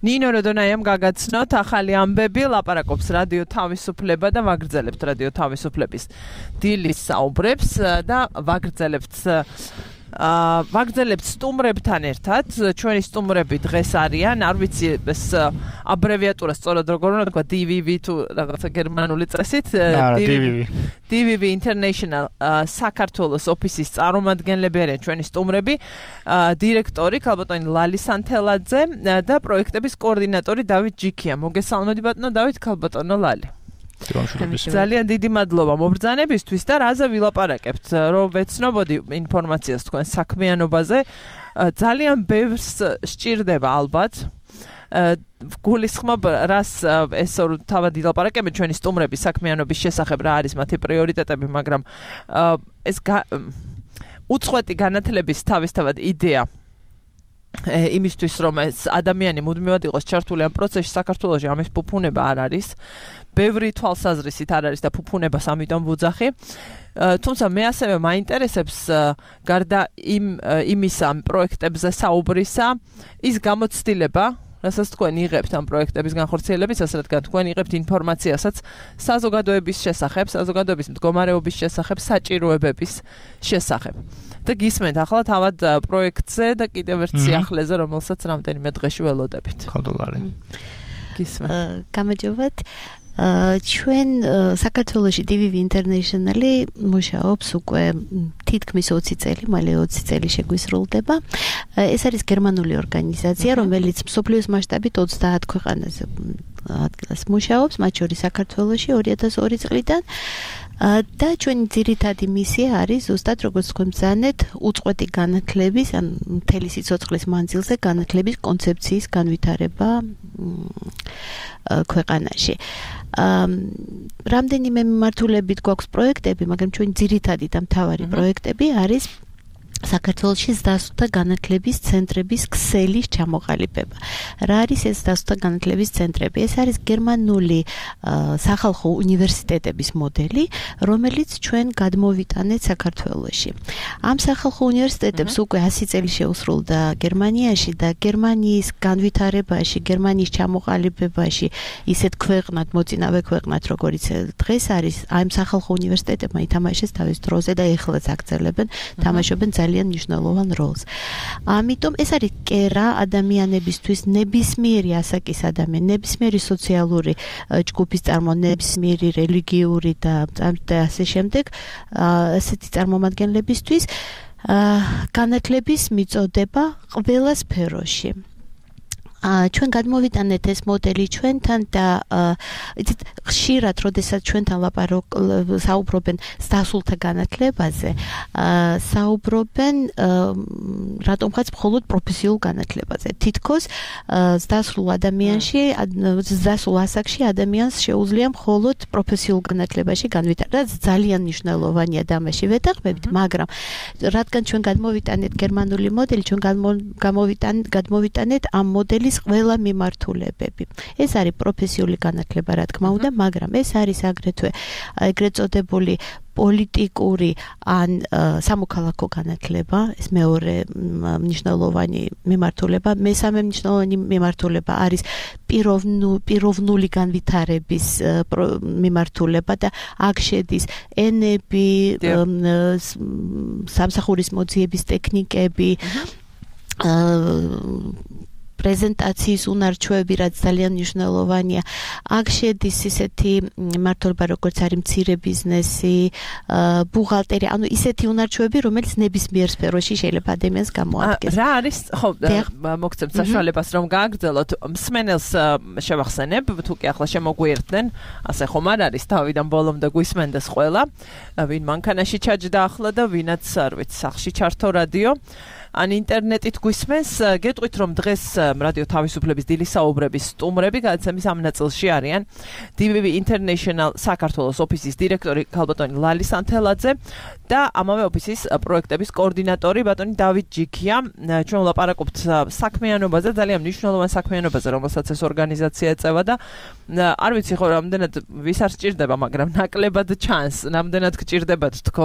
[SPEAKER 5] ნინო როდონაიამ გაგაცნოთ ახალი ამბები, ლაპარაკობს რადიო თავისუფლება და ვაგრძელებთ რადიო თავისუფლების დილის საუბრებს და ვაგრძელებთ აა ვაგრძელებთ სტუმრებთან ერთად. ჩვენი სტუმრები დღეს არიან, არ ვიცი ეს აბრევიატურა სწორად როგორ უნდა თქვა, დი ვი ვი თუ რაღაცა გერმანული წესით, დი ვი ვი International საქართველოს ოფისის წარმომადგენლები არიან ჩვენი სტუმრები, დირექტორი ქალბატონი ლალი სანთელაძე და პროექტების კოორდინატორი დავით ჯიქია. მოგესალმებით ბატონო დავით, ქალბატონო ლალი. ძალიან დიდი მადლობა მობრძანებისთვის და რაზე ვილაპარაკებთ, რომ ვეცნობოდი ინფორმაციას თქვენ საქმიანობაზე. ძალიან ბევრს სჭირდება ალბათ. გულისხმობ რას ესო თავად ვილაპარაკებთ ჩვენი სტუმრების საქმიანობის შესახებ, რა არის მათი პრიორიტეტები, მაგრამ ეს უწყვეტი განათლების თავისთავად იდეა იმისთვის რომ ეს ადამიანი მუდმივად იყოს ჩართული ამ პროცესში საქართველოში ამის ფუფუნება არ არის. ბევრი თვალსაზრისით არ არის და ფუფუნებას ამიტომ ვუძახი. თუმცა მე ასევე მაინტერესებს გარდა იმ იმისა პროექტებზე საუბრისა ის გამოცდილება, რასაც თქვენ იღებთ ამ პროექტების განხორციელებისას, რადგან თქვენ იღებთ ინფორმაციასაც საზოგადოების შესახებ, საზოგადოების მდგომარეობის შესახებ, საჭიროებების შესახებ. და გისმენთ ახლა თავად პროექტზე და კიდევ ერთ სიახლეზე, რომელსაც რამდენიმე დღეში ველოდებით.
[SPEAKER 6] ხოდოლარი. გამარჯობათ. ჩვენ საქართველოში დი ვი ვი International-ი მუშაობს უკვე თითქმის ოცი წელი, მალე ოცი წელი შეგვისრულდება. ეს არის გერმანული ორგანიზაცია, რომელიც მსოფლიოს მასშტაბით ოცდაათ ქვეყანაზე ადგილას მუშაობს, მათ შორის საქართველოში ორი ათას ორი წლიდან. და ჩვენი ძირითადი მისია არის ზუსტად როგორც თქვენ ბრძანეთ, უწყვეტი განათლების, ან მთელი სიცოცხლის მანძილზე განათლების კონცეფციის განვითარება ქვეყანაში. რამდენიმე მიმართულებით გვაქვს პროექტები, მაგრამ ჩვენი ძირითადი და მთავარი პროექტები არის საქართველოში ზრდასრულთა განათლების ცენტრების ქსელის ჩამოყალიბება. რა არის ეს ზრდასრულთა განათლების ცენტრები? ეს არის გერმანული სახალხო უნივერსიტეტების მოდელი, რომელიც ჩვენ გადმოვიტანეთ საქართველოში. ამ სახალხო უნივერსიტეტებს უკვე ასი წელი შეუსრულდა გერმანიაში და გერმანიის განვითარებაში, გერმანიის ჩამოყალიბებაში ისეთ ქვეყნად, მოწინავე ქვეყნად, როგორიც დღეს არის, ამ სახალხო უნივერსიტეტებმა ითამაშეს თავის დროზე და ეხლაც აგრძელებენ, თამაშობენ ძალიან მნიშვნელოვან როლს. ამიტომ ეს არის კერა ადამიანებისთვის, ნებისმიერი ასაკის ადამიანი, ნებისმიერი სოციალური ჯგუფის წარმომადგენელი, ნებისმიერი რელიგიური და ასე შემდეგ, ასეთი წარმომადგენლებისთვის განათლების მიწოდება ყველა სფეროში. ჩვენ გადმოვიტანეთ ეს მოდელი ჩვენთან და იცით ხშირად როდესაც ჩვენთან საუბრობენ ზრდასრულთა განათლებაზე, საუბრობენ რატომღაც მხოლოდ პროფესიულ განათლებაზე. თითქოს ზრდასრულ ადამიანში, ზრდასრულ ასაკში ადამიანს შეუძლია მხოლოდ პროფესიულ განათლებაში განვითარება. ძალიან მნიშვნელოვანია და ამაში ვეთანხმებით, მაგრამ რადგან ჩვენ გადმოვიტანეთ გერმანული მოდელი, ჩვენ გამოვიტანეთ გადმოვიტანეთ ამ მოდელის ყველა მიმართულებები. ეს არის პროფესიული განათლება, რა თქმა უნდა, მაგრამ ეს არის აგრეთვე ეგრეთ წოდებული პოლიტიკური ან სამოქალაქო განათლება, ეს მეორე მნიშვნელოვანი მიმართულება, მესამე მნიშვნელოვანი მიმართულება არის პიროვნული განვითარების მიმართულება და აქ შედის ენები, სამსახურის მოძიების ტექნიკები, პრეზენტაციის უნარჩვევები, რაც ძალიან მნიშვნელოვანია. აქ შედის ისეთი მმართველობა, როგორც არის მცირე ბიზნესი, ბუღალტერია, ანუ ისეთი უნარჩვევები, რომელიც ნებისმიერ სფეროში შეიძლება ადამიანს გამოადგეს.
[SPEAKER 2] რა არის, ხო, მოგცემთ საშუალებას, რომ გააგრძელოთ. მსმენელს შევახსენებ, თუ კი ახლა შემოგვიერთდნენ, ასე ხომ არ არის, თავიდან ბოლომდე გვისმენდეს ყველა, ვინ მანქანაში ჩაჯდა ახლა და ვინაც არ ვიცი, სახლში ჩართო რადიო. ან ინტერნეტით გვისმენს, გეტყვით რომ დღეს რადიო თავისუფლების დილის საუბრების სტუმრები გადაცემის ამ ნაწილში არიან დი ვი ვი International საქართველოს ოფისის დირექტორი ქალბატონი ლალი სანთელაძე და ამავე ოფისის პროექტების კოორდინატორი ბატონი დავით ჯიქია. ჩვენ ვლაპარაკობთ საქმიანობაზე, ძალიან მნიშვნელოვან საქმიანობაზე, რომელსაც ეს ორგანიზაცია ეწევა და არ ვიცი ხო რამდენად ვის არ სჭირდება, მაგრამ ნაკლებად ჩანს, რამდენად გჭირდებათ თქო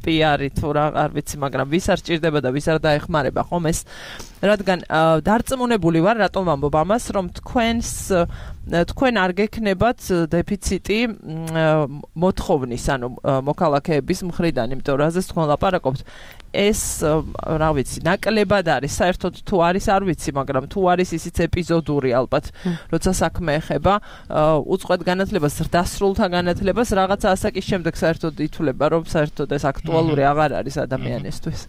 [SPEAKER 2] პი არი თუ რა არ ვიცი, მაგრამ ვის არ სჭირდება და ვის არ დაეხმარება ხომ ეს, რადგან დარწმუნებული ვარ, რატომ ვამბობ ამას, რომ თქვენს თქვენ არ გექნებათ დეფიციტი მოთხოვნის, ანუ მოქალაქეების მხრიდან, იმიტომ რომ ასეც თქვენ ლაპარაკობთ, ეს რა ვიცი, ნაკლებად არის, საერთოდ თუ არის არ ვიცი, მაგრამ თუ არის ისიც ეპიზოდური ალბათ, როცა საქმე ეხება უწყვეტ განათლებას, ზრდასრულთა განათლებას, რაღაცა ასაკის შემდეგ საერთოდ ითვლება, რომ საერთოდ ეს აქტუალური აღარ არის ადამიანისთვის.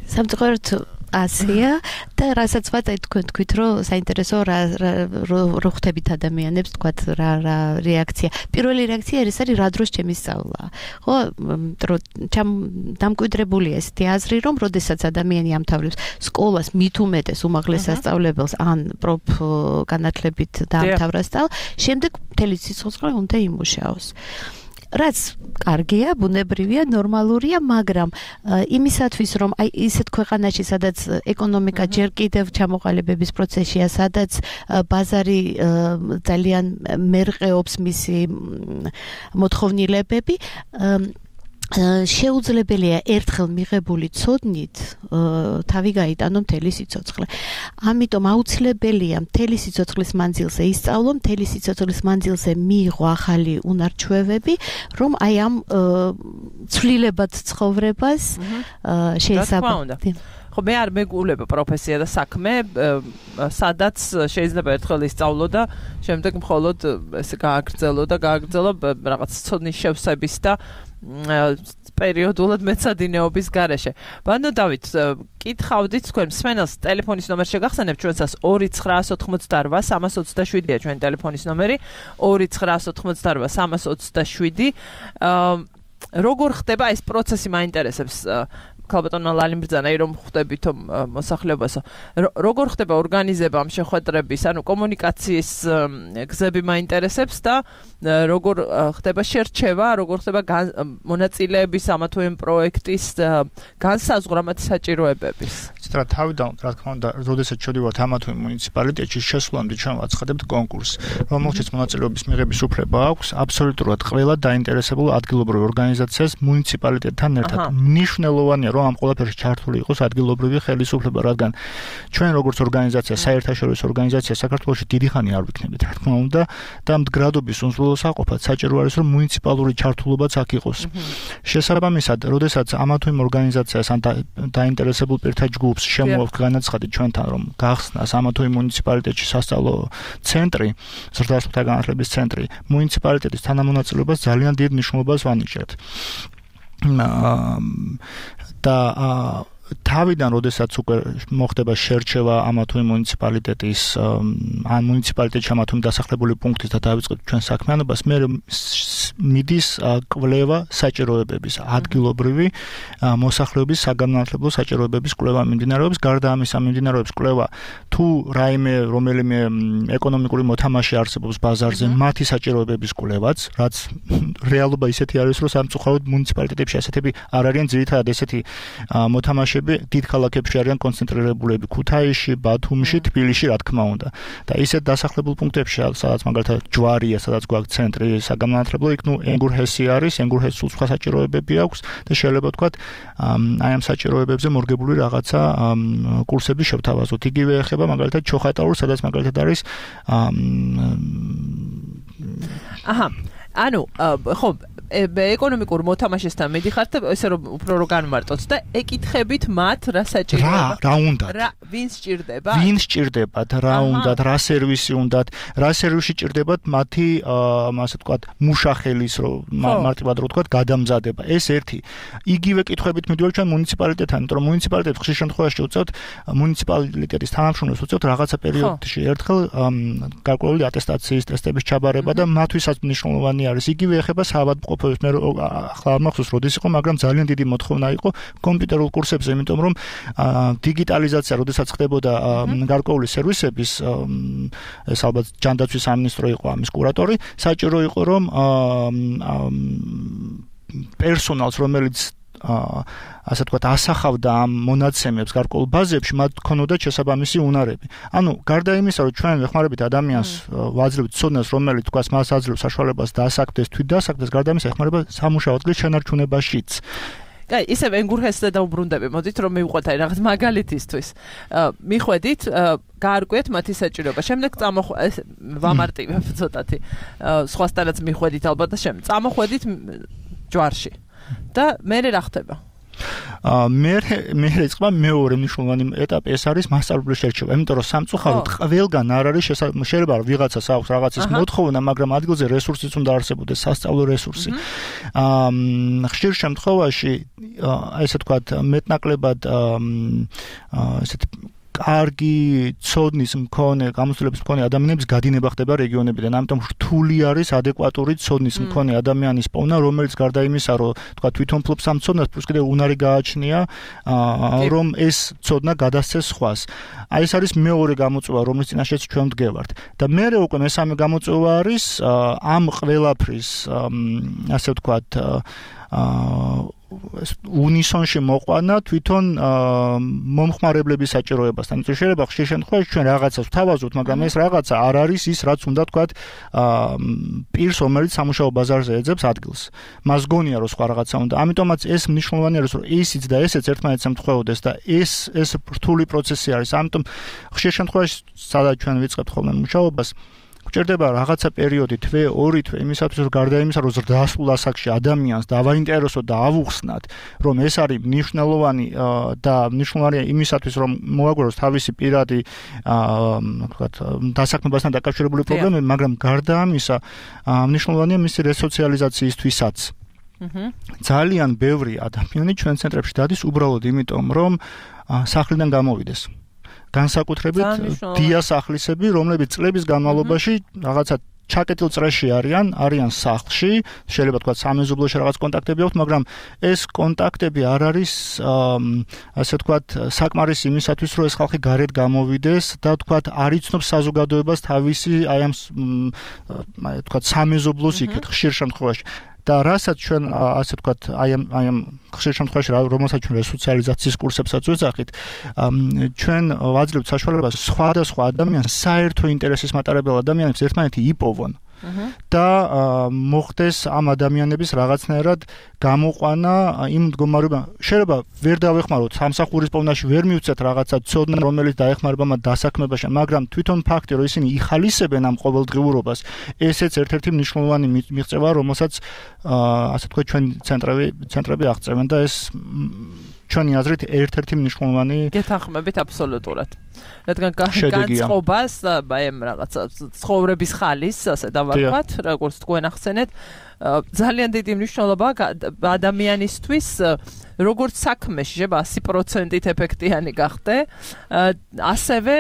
[SPEAKER 6] სამწუხაროდ ასია და რასაც ვაწერ თქვენ თქვით რომ საინტერესო რა რო ხვდებით ადამიანებს თქვათ რა რა რეაქცია. პირველი რეაქცია ეს არის რა დროს ჩემი სწავლა. ხო, რომ დამკვიდრებულია ესეთი აზრი რომ როდესაც ადამიანი ამთავრებს სკოლას მით უმეტეს უმაღლეს სასწავლებელს ან პროფ განათლებით დაამთავრა სწავლა, შემდეგ მთელი სიცოცხლე უნდა იმუშაოს. რაც კარგია, ბუნებრივია, ნორმალურია, მაგრამ იმისათვის რომ აი ისეთ ქვეყანაში, სადაც ეკონომიკა ჯერ კიდევ ჩამოყალიბების პროცესია, სადაც ბაზარი ძალიან მერყეობს მისი მოთხოვნილებები, შეუძლებელია ერთხელ მიღებული ცოდნით თავი გაიტანო მთელი სიცოცხლე. ამიტომ აუცილებელია მთელი სიცოცხლის მანძილზე ისწავლო, მთელი სიცოცხლის მანძილზე მიიღო ახალი უნარჩვევები, რომ აი ამ ცვლილებად ცხოვრებას შეესაბამება.
[SPEAKER 2] ხო მე არ მეგულება პროფესია და საქმე, სადაც შეიძლება ერთხელ ისწავლო და შემდეგ მხოლოდ ესე გააგრძელო და გააგრძელო რაღაც ცოდნის შევსების და პერიოდულად მეცადინეობის გარეშე. ბანო დავით, კითხავდით თქვენ მსმენელს ტელეფონის ნომერს შეგახსენებთ ჩვენსაც ორი ცხრაას ოცდაოთხმოცდაორვა სამას ოცდაშვიდია ჩვენი ტელეფონის ნომერი ორი ცხრაას ოცდაოთხმოცდაორვა სამას ოცდაშვიდი. როგორ ხდება ეს პროცესი მაინტერესებს ქალბატონმა ლალიმბრძანა რომ ხვდებით მოსახლეობასო როგორ ხდება ორგანიზება ამ შეხვედრების ანუ კომუნიკაციის გზები მაინტერესებს და როგორ ხდება შერჩევა როგორ ხდება მონაწილეების ამა თუ იმ პროექტის განსაზღვრა მათი საჭიროებების
[SPEAKER 7] ცოტა თავიდან რა თქმა უნდა როდესაც შევდივართ ამა თუ იმ მუნიციპალიტეტში შესვლამდე ჩვენ ვაცხადებთ კონკურსს რომელშიც მონაწილეობის მიღების უფლება აქვს აბსოლუტურად ყველა დაინტერესებულ ადგილობრივ ორგანიზაციას მუნიციპალიტეტთან ერთად მნიშვნელოვანია რომ ამ ყველაფერში ჩართული იყოს ადგილობრივი ხელისუფლება, რადგან ჩვენ როგორც ორგანიზაცია, საერთაშორისო ორგანიზაცია საქართველოში დიდი ხანი არ ვიქნებით, რა თქმა უნდა, და მდგრადობის უზრუნველსაყოფად საჭირო არის რომ მუნიციპალური ჩართულობაც აქ იყოს. შესაბამისად, როდესაც ამა თუ იმ ორგანიზაციას ან დაინტერესებულ პირთა ჯგუფს შემოაქვთ განაცხადი ჩვენთან, რომ გახსნას ამა თუ იმ მუნიციპალიტეტში სასწავლო ცენტრი, ზრდასრულთა განათლების ცენტრი, მუნიციპალიტეტის თანამონაწილეობას ძალიან დიდ მნიშვნელობას ვანიჭებთ. და თავიდან როდესაც უკვე მოხდება შერჩევა ამა თუ იმ მუნიციპალიტეტის ან მუნიციპალიტეტში ამა თუ იმ დასახლებული პუნქტის და დავიწყებთ ჩვენ საქმიანობას მე მიდის კვლევა საჭიროებების ადგილობრივი მოსახლეობის საგანმანათლებლო საჭიროებების კვლევა მიმდინარეობს გარდა ამისა მიმდინარეობს კვლევა თუ რაიმე რომელიმე ეკონომიკური მოთამაშე არსებობს ბაზარზე მათი საჭიროებების კვლევაც რაც რეალობა ისეთი არის რომ სამწუხაროდ მუნიციპალიტეტებში ასეთები არ არიან ძირითადად ესეთი მოთამაშე დიდ ქალაქებში არიან კონცენტრირებულები ქუთაისში, ბათუმში, თბილისში, რა თქმა უნდა. და ისეთ დასახლებულ პუნქტებში, სადაც მაგალითად ჯვარია, სადაც გვაქვს ცენტრი საგანმანათლებლო, იქ ნუ ენგურჰესი არის, ენგურჰესს სულ სხვა საჭიროებები აქვს და შეიძლება ვთქვათ, აი ამ საჭიროებებზე მორგებული რაღაცა კურსები შევთავაზოთ. იგივე ეხება მაგალითად ჩოხატაურს, სადაც მაგალითად არის
[SPEAKER 2] აჰა, ანუ ხო ეკონომიკურ მოთამაშესთან მიდიხართ და ესე რომ უფრო რო განმარტოთ და ეკითხებით მათ რა საჭიროება
[SPEAKER 7] რა უნდა
[SPEAKER 2] რა ვინ სჭირდება
[SPEAKER 7] ვინ სჭირდებათ რა უნდა რა სერვისი უნდათ რა სერვისი სჭირდებათ მათი ასე ვთქვათ მუშახელის რო მარტივად რო ვთქვათ გადამზადება ეს ერთი იგივე კითხვებით მიდივართ ჩვენ მუნიციპალიტეტთან იმიტომ რომ მუნიციპალიტეტს ხშირ შემთხვევაში უწევთ მუნიციპალიტეტის თანამშრომლებს უწევთ რაღაცა პერიოდში ერთხელ გარკვეული ატესტაციის ტესტების ჩაბარება და მათთვისაც მნიშვნელოვანი არის იგივე ეხება საავადმყოფო მე ახლა არ მახსოვს როდის იყო, მაგრამ ძალიან დიდი მოთხოვნა იყო კომპიუტერულ კურსებზე, იმიტომ რომ დიგიტალიზაცია, როდესაც ხდებოდა გარკვეული სერვისების, ეს ალბათ ჯანდაცვის სამინისტრო იყო ამის კურატორი, საჭირო იყო რომ პერსონალს, რომელიც ასე ვთქვათ, ასახავდა ამ მონაცემებს გარკვეულ ბაზებში, მათ ქონოდა შესაბამისი უნარები. ანუ გარდა იმისა, რომ ჩვენ ვეხმარებით ადამიანს, ვაძლევთ ცოდნას, რომელიც თქვას მას აძლევს საშუალებას დაასაკდეს, თვით დაასაკდეს, გარდა იმისა, ეხმარება სამუშაო ადგილის შენარჩუნებაშიც.
[SPEAKER 2] კაი, ისევ ენგურჰესზე დაუბრუნდები, მოდით რომ მივყვეთ აი რაღაც მაგალითისთვის. მიხვედით, გაარკვიეთ მათი საჭიროება. შემდეგ წამოხვედით, ვამარტივებ ცოტათი. სხვასთანაც მიხვედით ალბათ და შემდეგ წამოხვედით ჯვარში. და მე რა ხდება?
[SPEAKER 7] აა მე მე იწყება მეორე მნიშვნელოვანი ეტაპი ეს არის მასწავლებლის შერჩევა. იმიტომ რომ სამწუხაროდ ყველგან არ არის შეიძლება ვიღაცას აქვს რაღაცის მოთხოვნა, მაგრამ ადგილზე რესურსიც უნდა არსებობდეს, სასწავლო რესურსი. აა ხშირ შემთხვევაში ესე ვთქვათ, მეტნაკლებად აა ესეთ კარგი ცოდნის მქონე, გამოცდილების მქონე ადამიანების გადინება ხდება რეგიონებიდან. ამიტომ რთული არის ადეკვატური ცოდნის მქონე ადამიანის პოვნა, რომელიც გარდა იმისა, რომ თქვა თვითონ ფლობს ამ ცოდნას, პლუს კიდევ უნარი გააჩნია, რომ ეს ცოდნა გადასცეს სხვას. აი ეს არის მეორე გამოწვევა, რომლის წინაშეც ჩვენ ვდგევართ. და მეორე უკვე მესამე გამოწვევა არის ამ ყველაფრის, ასე ვთქვათ, აა უნისონში მოყვანა თვითონ მომხმარებლების საჭიროებასთან. იმიტომ შეიძლება ხშირ შემთხვევაში ჩვენ რაღაცას ვთავაზობთ, მაგრამ ეს რაღაცა არ არის ის, რაც უნდა თქვათ პირს, რომელიც სამუშაო ბაზარზე ეძებს ადგილს. მას გონია, რომ სხვა რაღაცა უნდა. ამიტომაც ეს მნიშვნელოვანი არის, რომ ისიც და ესეც ერთმანეთს ემთხვეოდეს და ეს ეს რთული პროცესი არის. ამიტომ ხშირ შემთხვევაში სადაც ჩვენ ვიწყებთ ხოლმე მუშაობას გჭირდება რაღაცა პერიოდი თვე, ორი თვე იმისათვის რომ გარდა იმისა რომ ზრდასრულ ასაკში ადამიანს დავაინტერესოთ და ავუხსნათ რომ ეს არის მნიშვნელოვანი და მნიშვნელოვანია იმისათვის რომ მოაგვაროს თავისი პირადი ვთქვათ დასაქმებასთან დაკავშირებული პრობლემები, მაგრამ გარდა ამისა მნიშვნელოვანია მისი რესოციალიზაციისთვისაც. ძალიან ბევრი ადამიანი ჩვენ ცენტრებში დადის უბრალოდ იმიტომ რომ სახლიდან გამოვიდეს. განსაკუთრებით დიასახლისები, რომლებიც წლების განმავლობაში რაღაცა ჩაკეტილ წრეში არიან, არიან სახლში, შეიძლება თქვა სამეზობლოში რაღაც კონტაქტები აქვს, მაგრამ ეს კონტაქტები არ არის ასე თქვა საკმარის იმისათვის, რომ ეს ხალხი გარეთ გამოვიდეს და თქვა არ იცნობს საზოგადოებას თავისი აი ამ თქვა სამეზობლოს იქეთ ხშირ შემთხვევაში. და რასაც ჩვენ ასე ვთქვათ, აი ამ აი ამ ხშირ შემთხვევაში რომელსაც ჩვენ რესოციალიზაციის კურსებსაც ვეძახით, ჩვენ ვაძლევთ საშუალებას სხვადასხვა ადამიანს საერთო ინტერესის მატარებელ ადამიანებს ერთმანეთი იპოვონ. და მოხდეს ამ ადამიანების რაღაცნაირად გამოყვანა იმ მდგომარეობა. შეიძლება ვერ დავეხმაროთ სამსახურის პოვნაში ვერ მივცეთ რაღაცა ცოდნა, რომელიც დაეხმარება მათ დასაქმებაში, მაგრამ თვითონ ფაქტი, რომ ისინი იხალისებენ ამ ყოველდღიურობას, ესეც ერთ-ერთი მნიშვნელოვანი მიღწევა, რომელსაც ასე თქვა ჩვენ ცენტრები ცენტრები აღწევენ და ეს ჩვენი აზრით ერთ-ერთი მნიშვნელოვანი
[SPEAKER 2] გეთანხმებით აბსოლუტურად. რადგან განწყობას აი ამ რაღაცა ცხოვრების ხალის, ასე დავარქვათ, როგორც თქვენ ახსენეთ, ძალიან დიდი მნიშვნელობა ადამიანისთვის, როგორც საქმეში, შეიძლება ასი პროცენტით ეფექტიანი გახდე, ასევე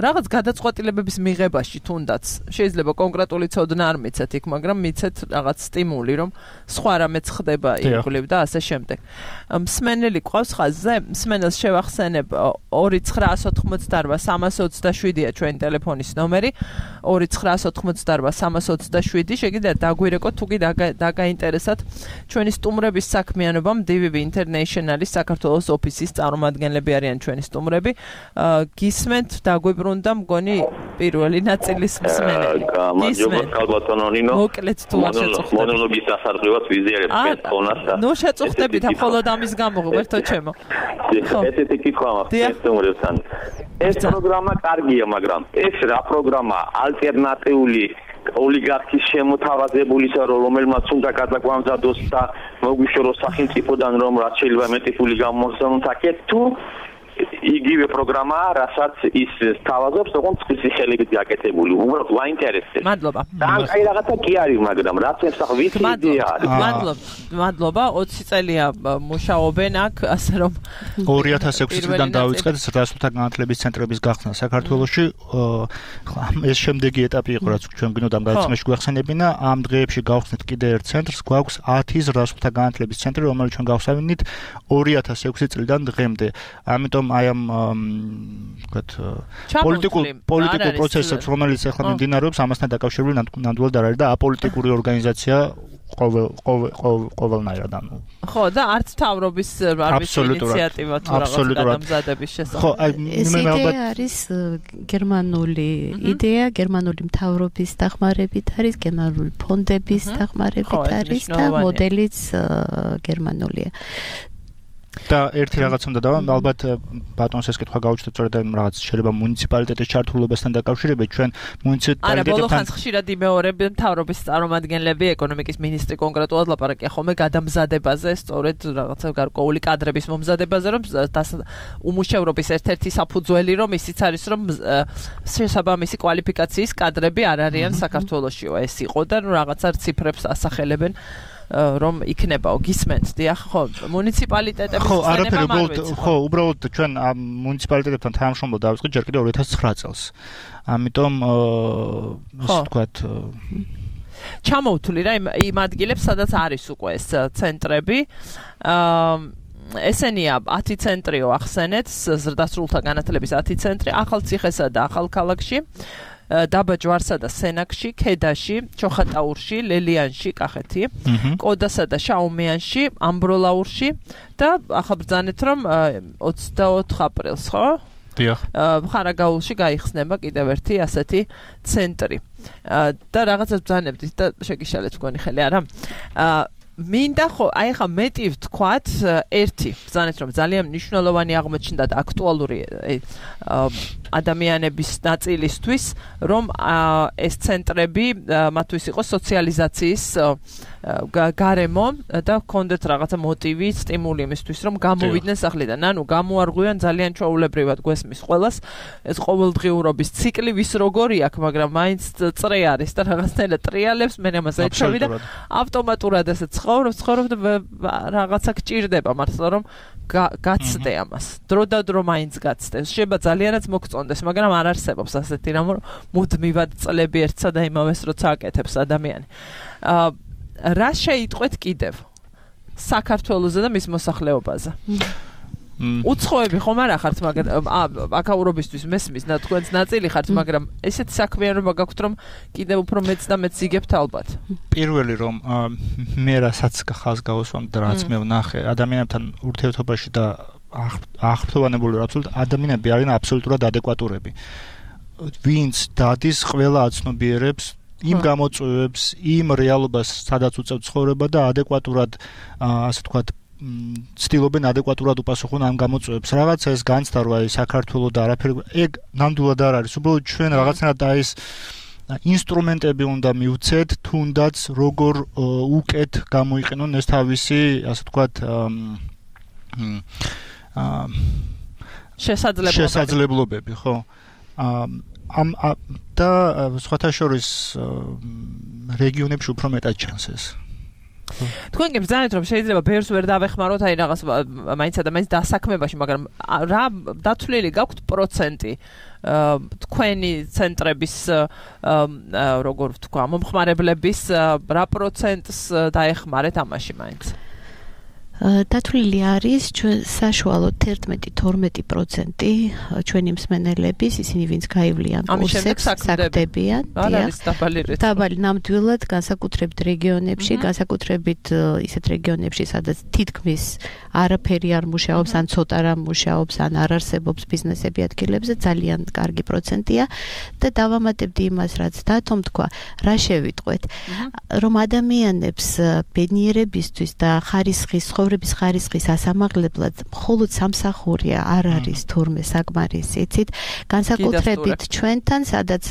[SPEAKER 2] რაღაც გადაწყვეტილებების მიღებაში თუნდაც შეიძლება კონკრეტული ცოდნა არ მიცეთ იქ, მაგრამ მიცეთ რაღაც სტიმული, რომ სხვა რამეც ხდება ირგვლივ და ასე შემდეგ. მსმენელი ყავს ხაზზე, მსმენელს შევახსენებ ორი ცხრაას ოთხმოცდაარბა სამას ოცდაშვიდია ჩვენი ტელეფონის ნომერი, ორი ცხრაას ოთხმოცდაარბა სამას ოცდაშვიდი, შეგიძლიათ დაგვირეკოთ თუ კი დაგაინტერესათ ჩვენი სტუმრების საქმიანობამ. დი ვი ვი International-ის საქართველოს ოფისის წარმომადგენლები არიან ჩვენი სტუმრები. გისმენთ, დაგვიბრუნდა მგონი პირველი ნაწილის მსმენელი.
[SPEAKER 4] გამარჯობა ქალბატონო ნინო.
[SPEAKER 2] მოკლედ თუ არ შეწუხდებით.
[SPEAKER 4] მონოლოგის ასარგებლად ვიზიარებ ტელეფონას და
[SPEAKER 2] ნუ შეწუხდებით, მხოლოდ ამის გამო ღერთო ჩემო.
[SPEAKER 4] ესეთი კითხვა მაქვს სტუმრებთან. ეს პროგრამა კარგია, მაგრამ ეს რა პროგრამაა? ალტერნატიული ოლიგარქის შემოთავაზებულისა, რომელმაც უნდა გადაგვამზადოს და მოგვიშოროს სახელმწიფოდან, რომ რაც შეიძლება მეტი ფული გამოსცემოთ აქეთ, თუ იგივე პროგრამა, რასაც ის თავაზობს, თქო წყლის ხელებით გაკეთებული. უბრალოდ ვაინტერესებს.
[SPEAKER 2] მადლობა.
[SPEAKER 4] და აი რაღაცა კი არის, მაგრამ რაც ემსახ ვიცი იდეა არის.
[SPEAKER 2] მადლობა. მადლობა. ოცი წელია მუშაობენ აქ, ასე რომ
[SPEAKER 7] ორი ათას ექვსი წლიდან დავიწყეთ ზრდასრულთა განათლების ცენტრების გახსნა საქართველოში. ეს შემდეგი ეტაპი იყო, რაც ჩვენ გინოდამ გადაცემაში გვახსენებინა. ამ დღეებში გავხსნით კიდე ერთ ცენტრს, გვაქვს ათი ზრდასრულთა განათლების ცენტრი, რომელიც ჩვენ გავხსნით ორი ათას ექვსი წლიდან დღემდე. ამიტომ აი ამ ვთქვათ პოლიტიკურ პოლიტიკურ პროცესებს, რომელიც ახლა მიმდინარეობს, ამასთან დაკავშირებული ნამდვილად არ არის და აპოლიტიკური ორგანიზაცია ყოველ ყოველნაირად ანუ
[SPEAKER 2] ხო და არც თავრობის არის ინიციატივა თუ რაღაც გადამზადების შესახებ.
[SPEAKER 6] ხო, აი მე ალბათ არის გერმანული იდეა, გერმანული მთავრობის დახმარებით არის, გერმანული ფონდების დახმარებით არის და მოდელიც გერმანულია.
[SPEAKER 7] და ერთი რაღაც უნდა დავა, ალბათ ბატონს ეს კითხვა გაუჩნდეთ, სწორედ რაღაც შეიძლება მუნიციპალიტეტის ჩართულობასთან დაკავშირებით, ჩვენ მუნიციპალიტეტებთან
[SPEAKER 2] არა, ბოლო ხანს ხშირად იმეორებენ მთავრობის წარმომადგენლები, ეკონომიკის მინისტრი კონკრეტულად ლაპარაკია ხოლმე გადამზადებაზე, სწორედ რაღაცა გარკვეული კადრების მომზადებაზე, რომ უმუშევრობის ერთ-ერთი საფუძველი რომ ისიც არის, რომ შესაბამისი კვალიფიკაციის კადრები არ არიან საქართველოშიო, ეს იყო და რაღაცა ციფრებს ასახელებენ. რომ იქნებაო გისმენთ დიახ ხო მუნიციპალიტეტების
[SPEAKER 7] ხო არაფერი უბრალოდ ხო უბრალოდ ჩვენ ამ მუნიციპალიტეტებთან თანამშრომლობა დავიწყეთ ჯერ კიდევ ორი ათას ცხრა წელს ამიტომ ასე ვთქვათ
[SPEAKER 2] ჩამოვთვლი რა იმ ადგილებს სადაც არის უკვე ეს ცენტრები ესენია ათი ცენტრიო ახსენეთ ზრდასრულთა განათლების ათი ცენტრი ახალციხესა და ახალქალაქში დაბა ჯვარსა და სენაკში, ქედაში, ჩოხატაურში, ლელიანში, კახეთი, კოდასა და შაუმიანში, ამბროლაურში და ახლა ბრძანეთ რომ ოცდაოთხ აპრილს, ხო?
[SPEAKER 7] დიახ.
[SPEAKER 2] ხარაგაულში გაიხსნება კიდევ ერთი ასეთი ცენტრი. და რაღაცას ბრძანებდით და შეგიშალეთ თქვენი ხელი, არა? მინდა ხო აი ხა მეტი ვთქვათ ერთი ბრძანეთ რომ ძალიან მნიშვნელოვანი აღმოჩნდა და აქტუალური ადამიანების ნაწილისთვის რომ ეს ცენტრები მათთვის იყო სოციალიზაციის გარემო და ჰქონდეთ რაღაცა მოტივი, სტიმული იმისთვის რომ გამოვიდნენ სახლიდან. ანუ გამოარღვიან ძალიან ჩვეულებრივად გვესმის ყველას ეს ყოველდღიურობის ციკლი ვის როგორი აქვს, მაგრამ მაინც წრე არის და რაღაცნაირად ტრიალებს მე ამაზე ეჩვევი და ავტომატურად ესე ცხოვრობ, ცხოვრობ და რაღაცა გჭირდება მართლა რომ გაცდე ამას. დრო და დრო მაინც გაცდე. შეიძლება ძალიანაც მოგწონდეს, მაგრამ არ არსებობს ასეთი რამ რომ მუდმივად წლები ერთსა და იმავეს როცა აკეთებს ადამიანი. აა რა შეიტყვეთ კიდევ საქართველოზე და მის მოსახლეობაზე? უცხოები ხომ არ ახართ, მაგრამ აკაურობისთვის მესმის და თქვენც ნაწილი ხართ, მაგრამ ესეთი საქმიანობა გაქვთ, რომ კიდევ უფრო მეც და მეც იგებთ ალბათ.
[SPEAKER 7] პირველი რომ მე რასაც ხალხს გავუსვამ და რაც მე ვნახე ადამიანებთან ურთიერთობაში და აღფრთოვანებული ვარ, აბსოლუტურად ადამიანები არიან აბსოლუტურად ადეკვატურები. ვინც დადის ყველა აცნობიერებს იმ გამოწვევებს, იმ რეალობას, სადაც უწევთ ცხოვრება და ადეკვატურად, ასე ვთქვათ, ცდილობენ ადეკვატურად უპასუხონ ამ გამოწვევებს. რაღაცა ეს განცდა რომ აი საქართველოს და არაფერი ეგ ნამდვილად არ არის. უბრალოდ ჩვენ რაღაცნაირად აი ეს ინსტრუმენტები უნდა მივცეთ, თუნდაც როგორ უკეთ გამოიყენონ ეს თავისი, ასე ვთქვათ,
[SPEAKER 2] შესაძლებლობები.
[SPEAKER 7] შესაძლებლობები, ხო? ამ და სხვათა შორის რეგიონებში უფრო მეტად ჩანს ეს.
[SPEAKER 2] თქვენ გებძანეთ რომ შეიძლება ბერს ვერ დავეხმაროთ აი რაღაც მაინცა და მაინც დასაქმებაში, მაგრამ რა დათვლილი გაქვთ პროცენტი თქვენი ცენტრების როგორ ვთქვა მომხმარებლების რა პროცენტს დაეხმარეთ ამაში მაინც?
[SPEAKER 6] დათვლილი არის ჩვენ საშუალოდ ერთმეტი თორმეტი პროცენტი ჩვენი მსმენელების, ისინი ვინც გაივლიან კურსებს, საქმდებიან. დაბალი ნამდვილად განსაკუთრებით რეგიონებში, განსაკუთრებით ისეთ რეგიონებში, სადაც თითქმის არაფერი არ მუშაობს, ან ცოტა რამ მუშაობს, ან არ არსებობს ბიზნესები ადგილებზე, ძალიან კარგი პროცენტია და დავამატებდი იმას, რაც დათომ თქვა, რა შევიტყვეთ, რომ ადამიანებს ბედნიერებისთვის და ხარისხის ცხოვრების ხარისხის ასამაღლებლად მხოლოდ სამსახურია არ არის თურმე საკმარისი, იცით, განსაკუთრებით ჩვენთან, სადაც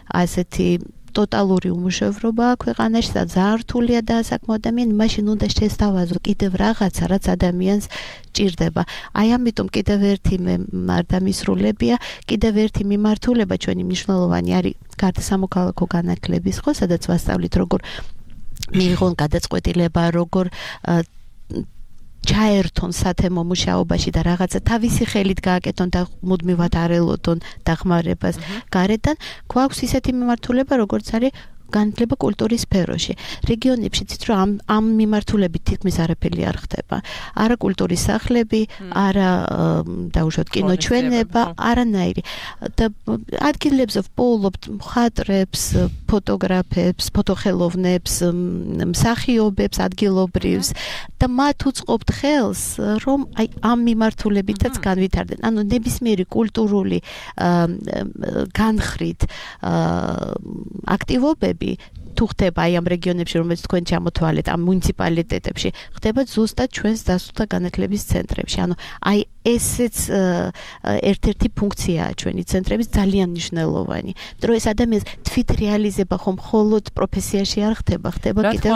[SPEAKER 6] ასეთი ტოტალური უმუშევრობა ქვეყანაში და ძალიან რთულია დაასაქმო ადამიანი, მაშინ უნდა შესთავაზო კიდევ რაღაცა, რაც ადამიანს ჭირდება. აი ამიტომ კიდევ ერთი მე არ დამისრულებია, კიდევ ერთი მიმართულება ჩვენი მნიშვნელოვანი არის გარდა სამოქალაქო განათლების, ხო, სადაც ვასწავლით როგორ მიიღონ გადაწყვეტილება, როგორ ჩაერთონ სათემო მუშაობაში და რაღაცა თავისი ხელით გააკეთონ და მუდმივად არ ელოდონ დახმარებას გარედან. გვაქვს ისეთი მიმართულება, როგორც არის განათლება კულტურის სფეროში. რეგიონებში ცით რომ ამ ამ მიმართულებით თითქმის არაფერი არ ხდება. არა კულტურის სახლები, არა დაუშვათ კინოჩვენება, არანაირი. და ადგილებზე ვპოულობთ მხატვრებს, ფოტოგრაფებს, ფოტოხელოვნებს, მსახიობებს, ადგილობრივს და მათ უწყობთ ხელს, რომ აი ამ მიმართულებითაც განვითარდნენ. ანუ ნებისმიერი კულტურული განხრით აქტივობები თუ ხდება აი ამ რეგიონებში, რომელიც თქვენ ჩამოთვალეთ, ამ მუნიციპალიტეტებში, ხდება ზუსტად ჩვენს დასულთა განათლების ცენტრებში. ანუ აი ესეც ერთ-ერთი ფუნქციაა ჩვენი ცენტრების ძალიან მნიშვნელოვანი. რომ ეს ადამიანის თვით რეალიზება ხომ მხოლოდ პროფესიაში არ ხდება, ხდება კიდევ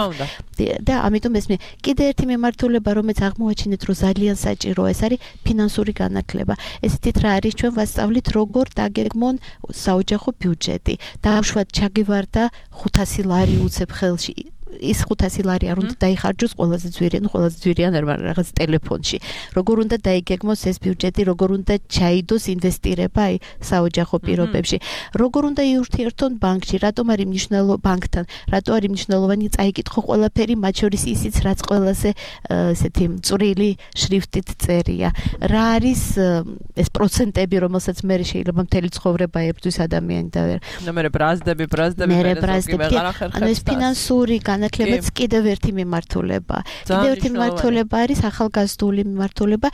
[SPEAKER 6] და ამიტომ ეს მე კიდე ერთი მიმართულება, რომელიც აღმოაჩინეთ, რომ ძალიან საჭიროა, ეს არის ფინანსური განათლება. ესეთით რა არის, ჩვენ ვასწავლით როგორ დაგეგმონ საოჯახო ბიუჯეტი. დაუშვათ ჩაგივარდა ხუთასი ლარი უცებ ხელში. ის ხუთასი ლარი არ უნდა დაიხარჯოს ყველაზე ძვირი, ну ყველაზე ძვირი არ რაღაც ტელეფონში. როგორ უნდა დაიგეგმოს ეს ბიუჯეტი, როგორ უნდა ჩაიდოს ინვესტირება აი საოჯახო პირობებში. როგორ უნდა იურთიერთონ ბანკში, რატომ არის მნიშვნელოვანი ბანკთან, რატო არის მნიშვნელოვანი წაიკითხო ყველაფერი, მათ შორის ისიც რაც ყველაზე ესეთი წვრილი შრიფტით წერია. რა არის ეს პროცენტები, რომელსაც მე შეიძლება მთელი ცხოვრება ებრძვის ადამიანი და ვერ.
[SPEAKER 2] ნუ მე ბრაზდები, ბრაზდები
[SPEAKER 6] მე ბრაზდები. ანუ ეს ფინანსური განათლებაც კიდევ ერთი მიმართულება. კიდევ ერთი მიმართულება არის ახალგაზრდული მიმართულება,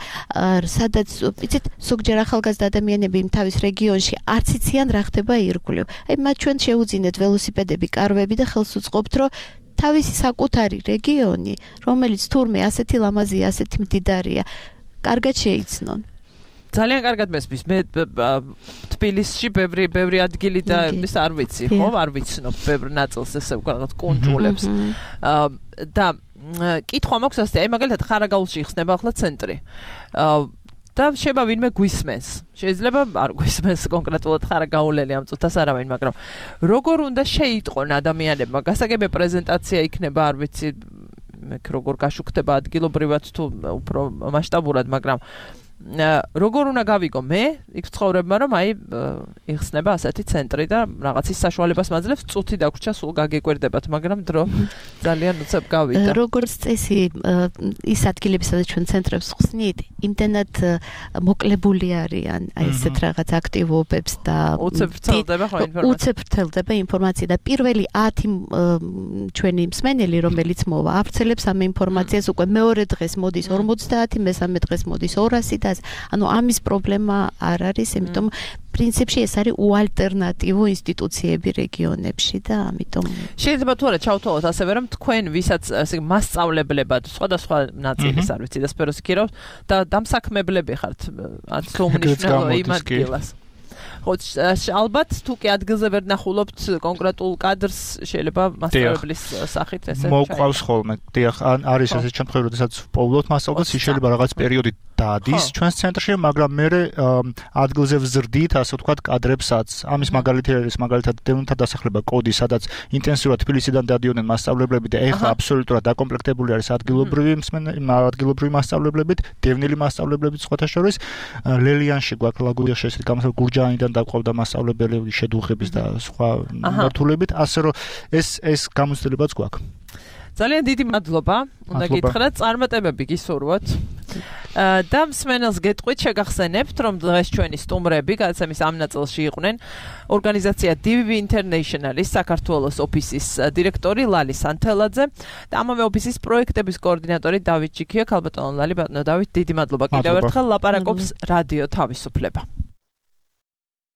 [SPEAKER 6] სადაც იცით, ზოგჯერ ახალგაზრდა ადამიანები იმ თავის რეგიონში არც იციან რა ხდება ირგვლივ. აი მათ ჩვენ შეუძინეთ ველოსიპედები, კარვები და ხელს უწყობთ, რომ თავისი საკუთარი რეგიონი, რომელიც თურმე ასეთი ლამაზია, ასეთი მდიდარია, კარგად შეიცნონ.
[SPEAKER 2] ძალიან კარგად მესმის. მე თბილისში ბევრი ბევრი ადგილი და ის არ ვიცი, ხო, არ ვიცნობ ბევრ ნაწილს ესე ვქაღათ კონტროლებს. და კითხვა მაქვს ასე, აი მაგალითად ხარაგაულში იხსნება ახლა ცენტრი. და შეიძლება ვინმე გვისმენს. შეიძლება არ გვისმენს კონკრეტულად ხარაგაულელი ამ წუთას არავინ, მაგრამ როგორ უნდა შეიტყონ ადამიანებმა? გასაგებია პრეზენტაცია იქნება, არ ვიცი, მე როგორ გაშუქდება ადგილობრივად თუ უფრო მასშტაბურად, მაგრამ როგორ უნდა გავიგო მე იქ ცხოვრებმა რომ აი იხსნება ასეთი ცენტრი და რაღაც ის საშუალებას მაძლევს წუთი დაგვრჩა სულ გაგეკვირდებათ მაგრამ დრო ძალიან უცებ გავიდა
[SPEAKER 6] როგორც წესი ის ადგილები სადაც ჩვენ ცენტრებს ხსნით იმდენად მოკლებული არიან აი ესეთ რაღაც აქტივობებს და
[SPEAKER 2] უცებ ვრცელდება ხო ინფორმაცია
[SPEAKER 6] უცებ ვრცელდება ინფორმაცია და პირველი ათი ჩვენი მსმენელი რომელიც მოვა ავრცელებს ამ ინფორმაციას უკვე მეორე დღეს მოდის ორმოცდაათი მესამე დღეს მოდის ორასი და ანუ ამის პრობლემა არ არის, იმიტომ პრინციპში ეს არის უალტერნატივო ინსტიტუციები რეგიონებში და ამიტომ
[SPEAKER 2] შეიძლება თუ არა ჩავთვალოთ ასევე რომ თქვენ ვისაც ესე მასწავლებლებად სხვადასხვა ნაწილის არ ვიცი და სფეროს იქირავთ და დამსაქმებლები ხართ არც უმნიშვნელო იმ ადგილას ხო ალბათ თუ კი ადგილზე ვერ ნახულობთ კონკრეტულ კადრს შეიძლება მასწავლებლის სახით ესე
[SPEAKER 7] მოყვავს ხოლმე დიახ არის ესე ჩემთხვევით როდესაც პოულობთ მასწავლებას შეიძლება რაღაც პერიოდი დადის ჩვენს ცენტრში მაგრამ მე ადგილზე ვზრდით ასე ვთქვათ კადრებსაც ამის მაგალითი არის მაგალითად დევნილთა დასახლება კოდი სადაც ინტენსიურად თბილისიდან დადიოდნენ მასწავლებლები და ეხლა აბსოლუტურად დაკომპლექტებული არის ადგილობრივი ადგილობრივი მასწავლებლებით დევნილი მასწავლებლებით სხვათა შორის ლელიანში გვაქვს ლაგუდიაში ესეთი გამოსავალი გურჯაანიდან დაყვავდა მასწავლებელი შედუღების და სხვა მართულებით ასე რომ ეს ეს გამოცდილებაც გვაქვს
[SPEAKER 2] ძალიან დიდი მადლობა უნდა გითხრათ წარმატებები გისურვოთ და მსმენელს გეტყვით შეგახსენებთ რომ დღეს ჩვენი სტუმრები გადაცემის ამ ნაწილში იყვნენ ორგანიზაცია დი ვი ვი International-ის საქართველოს ოფისის დირექტორი ლალი სანთელაძე და ამავე ოფისის პროექტების კოორდინატორი დავით ჯიქია ქალბატონო ლალი ბატონო დავით დიდი მადლობა კიდევ ერთხელ ლაპარაკობს რადიო თავისუფლება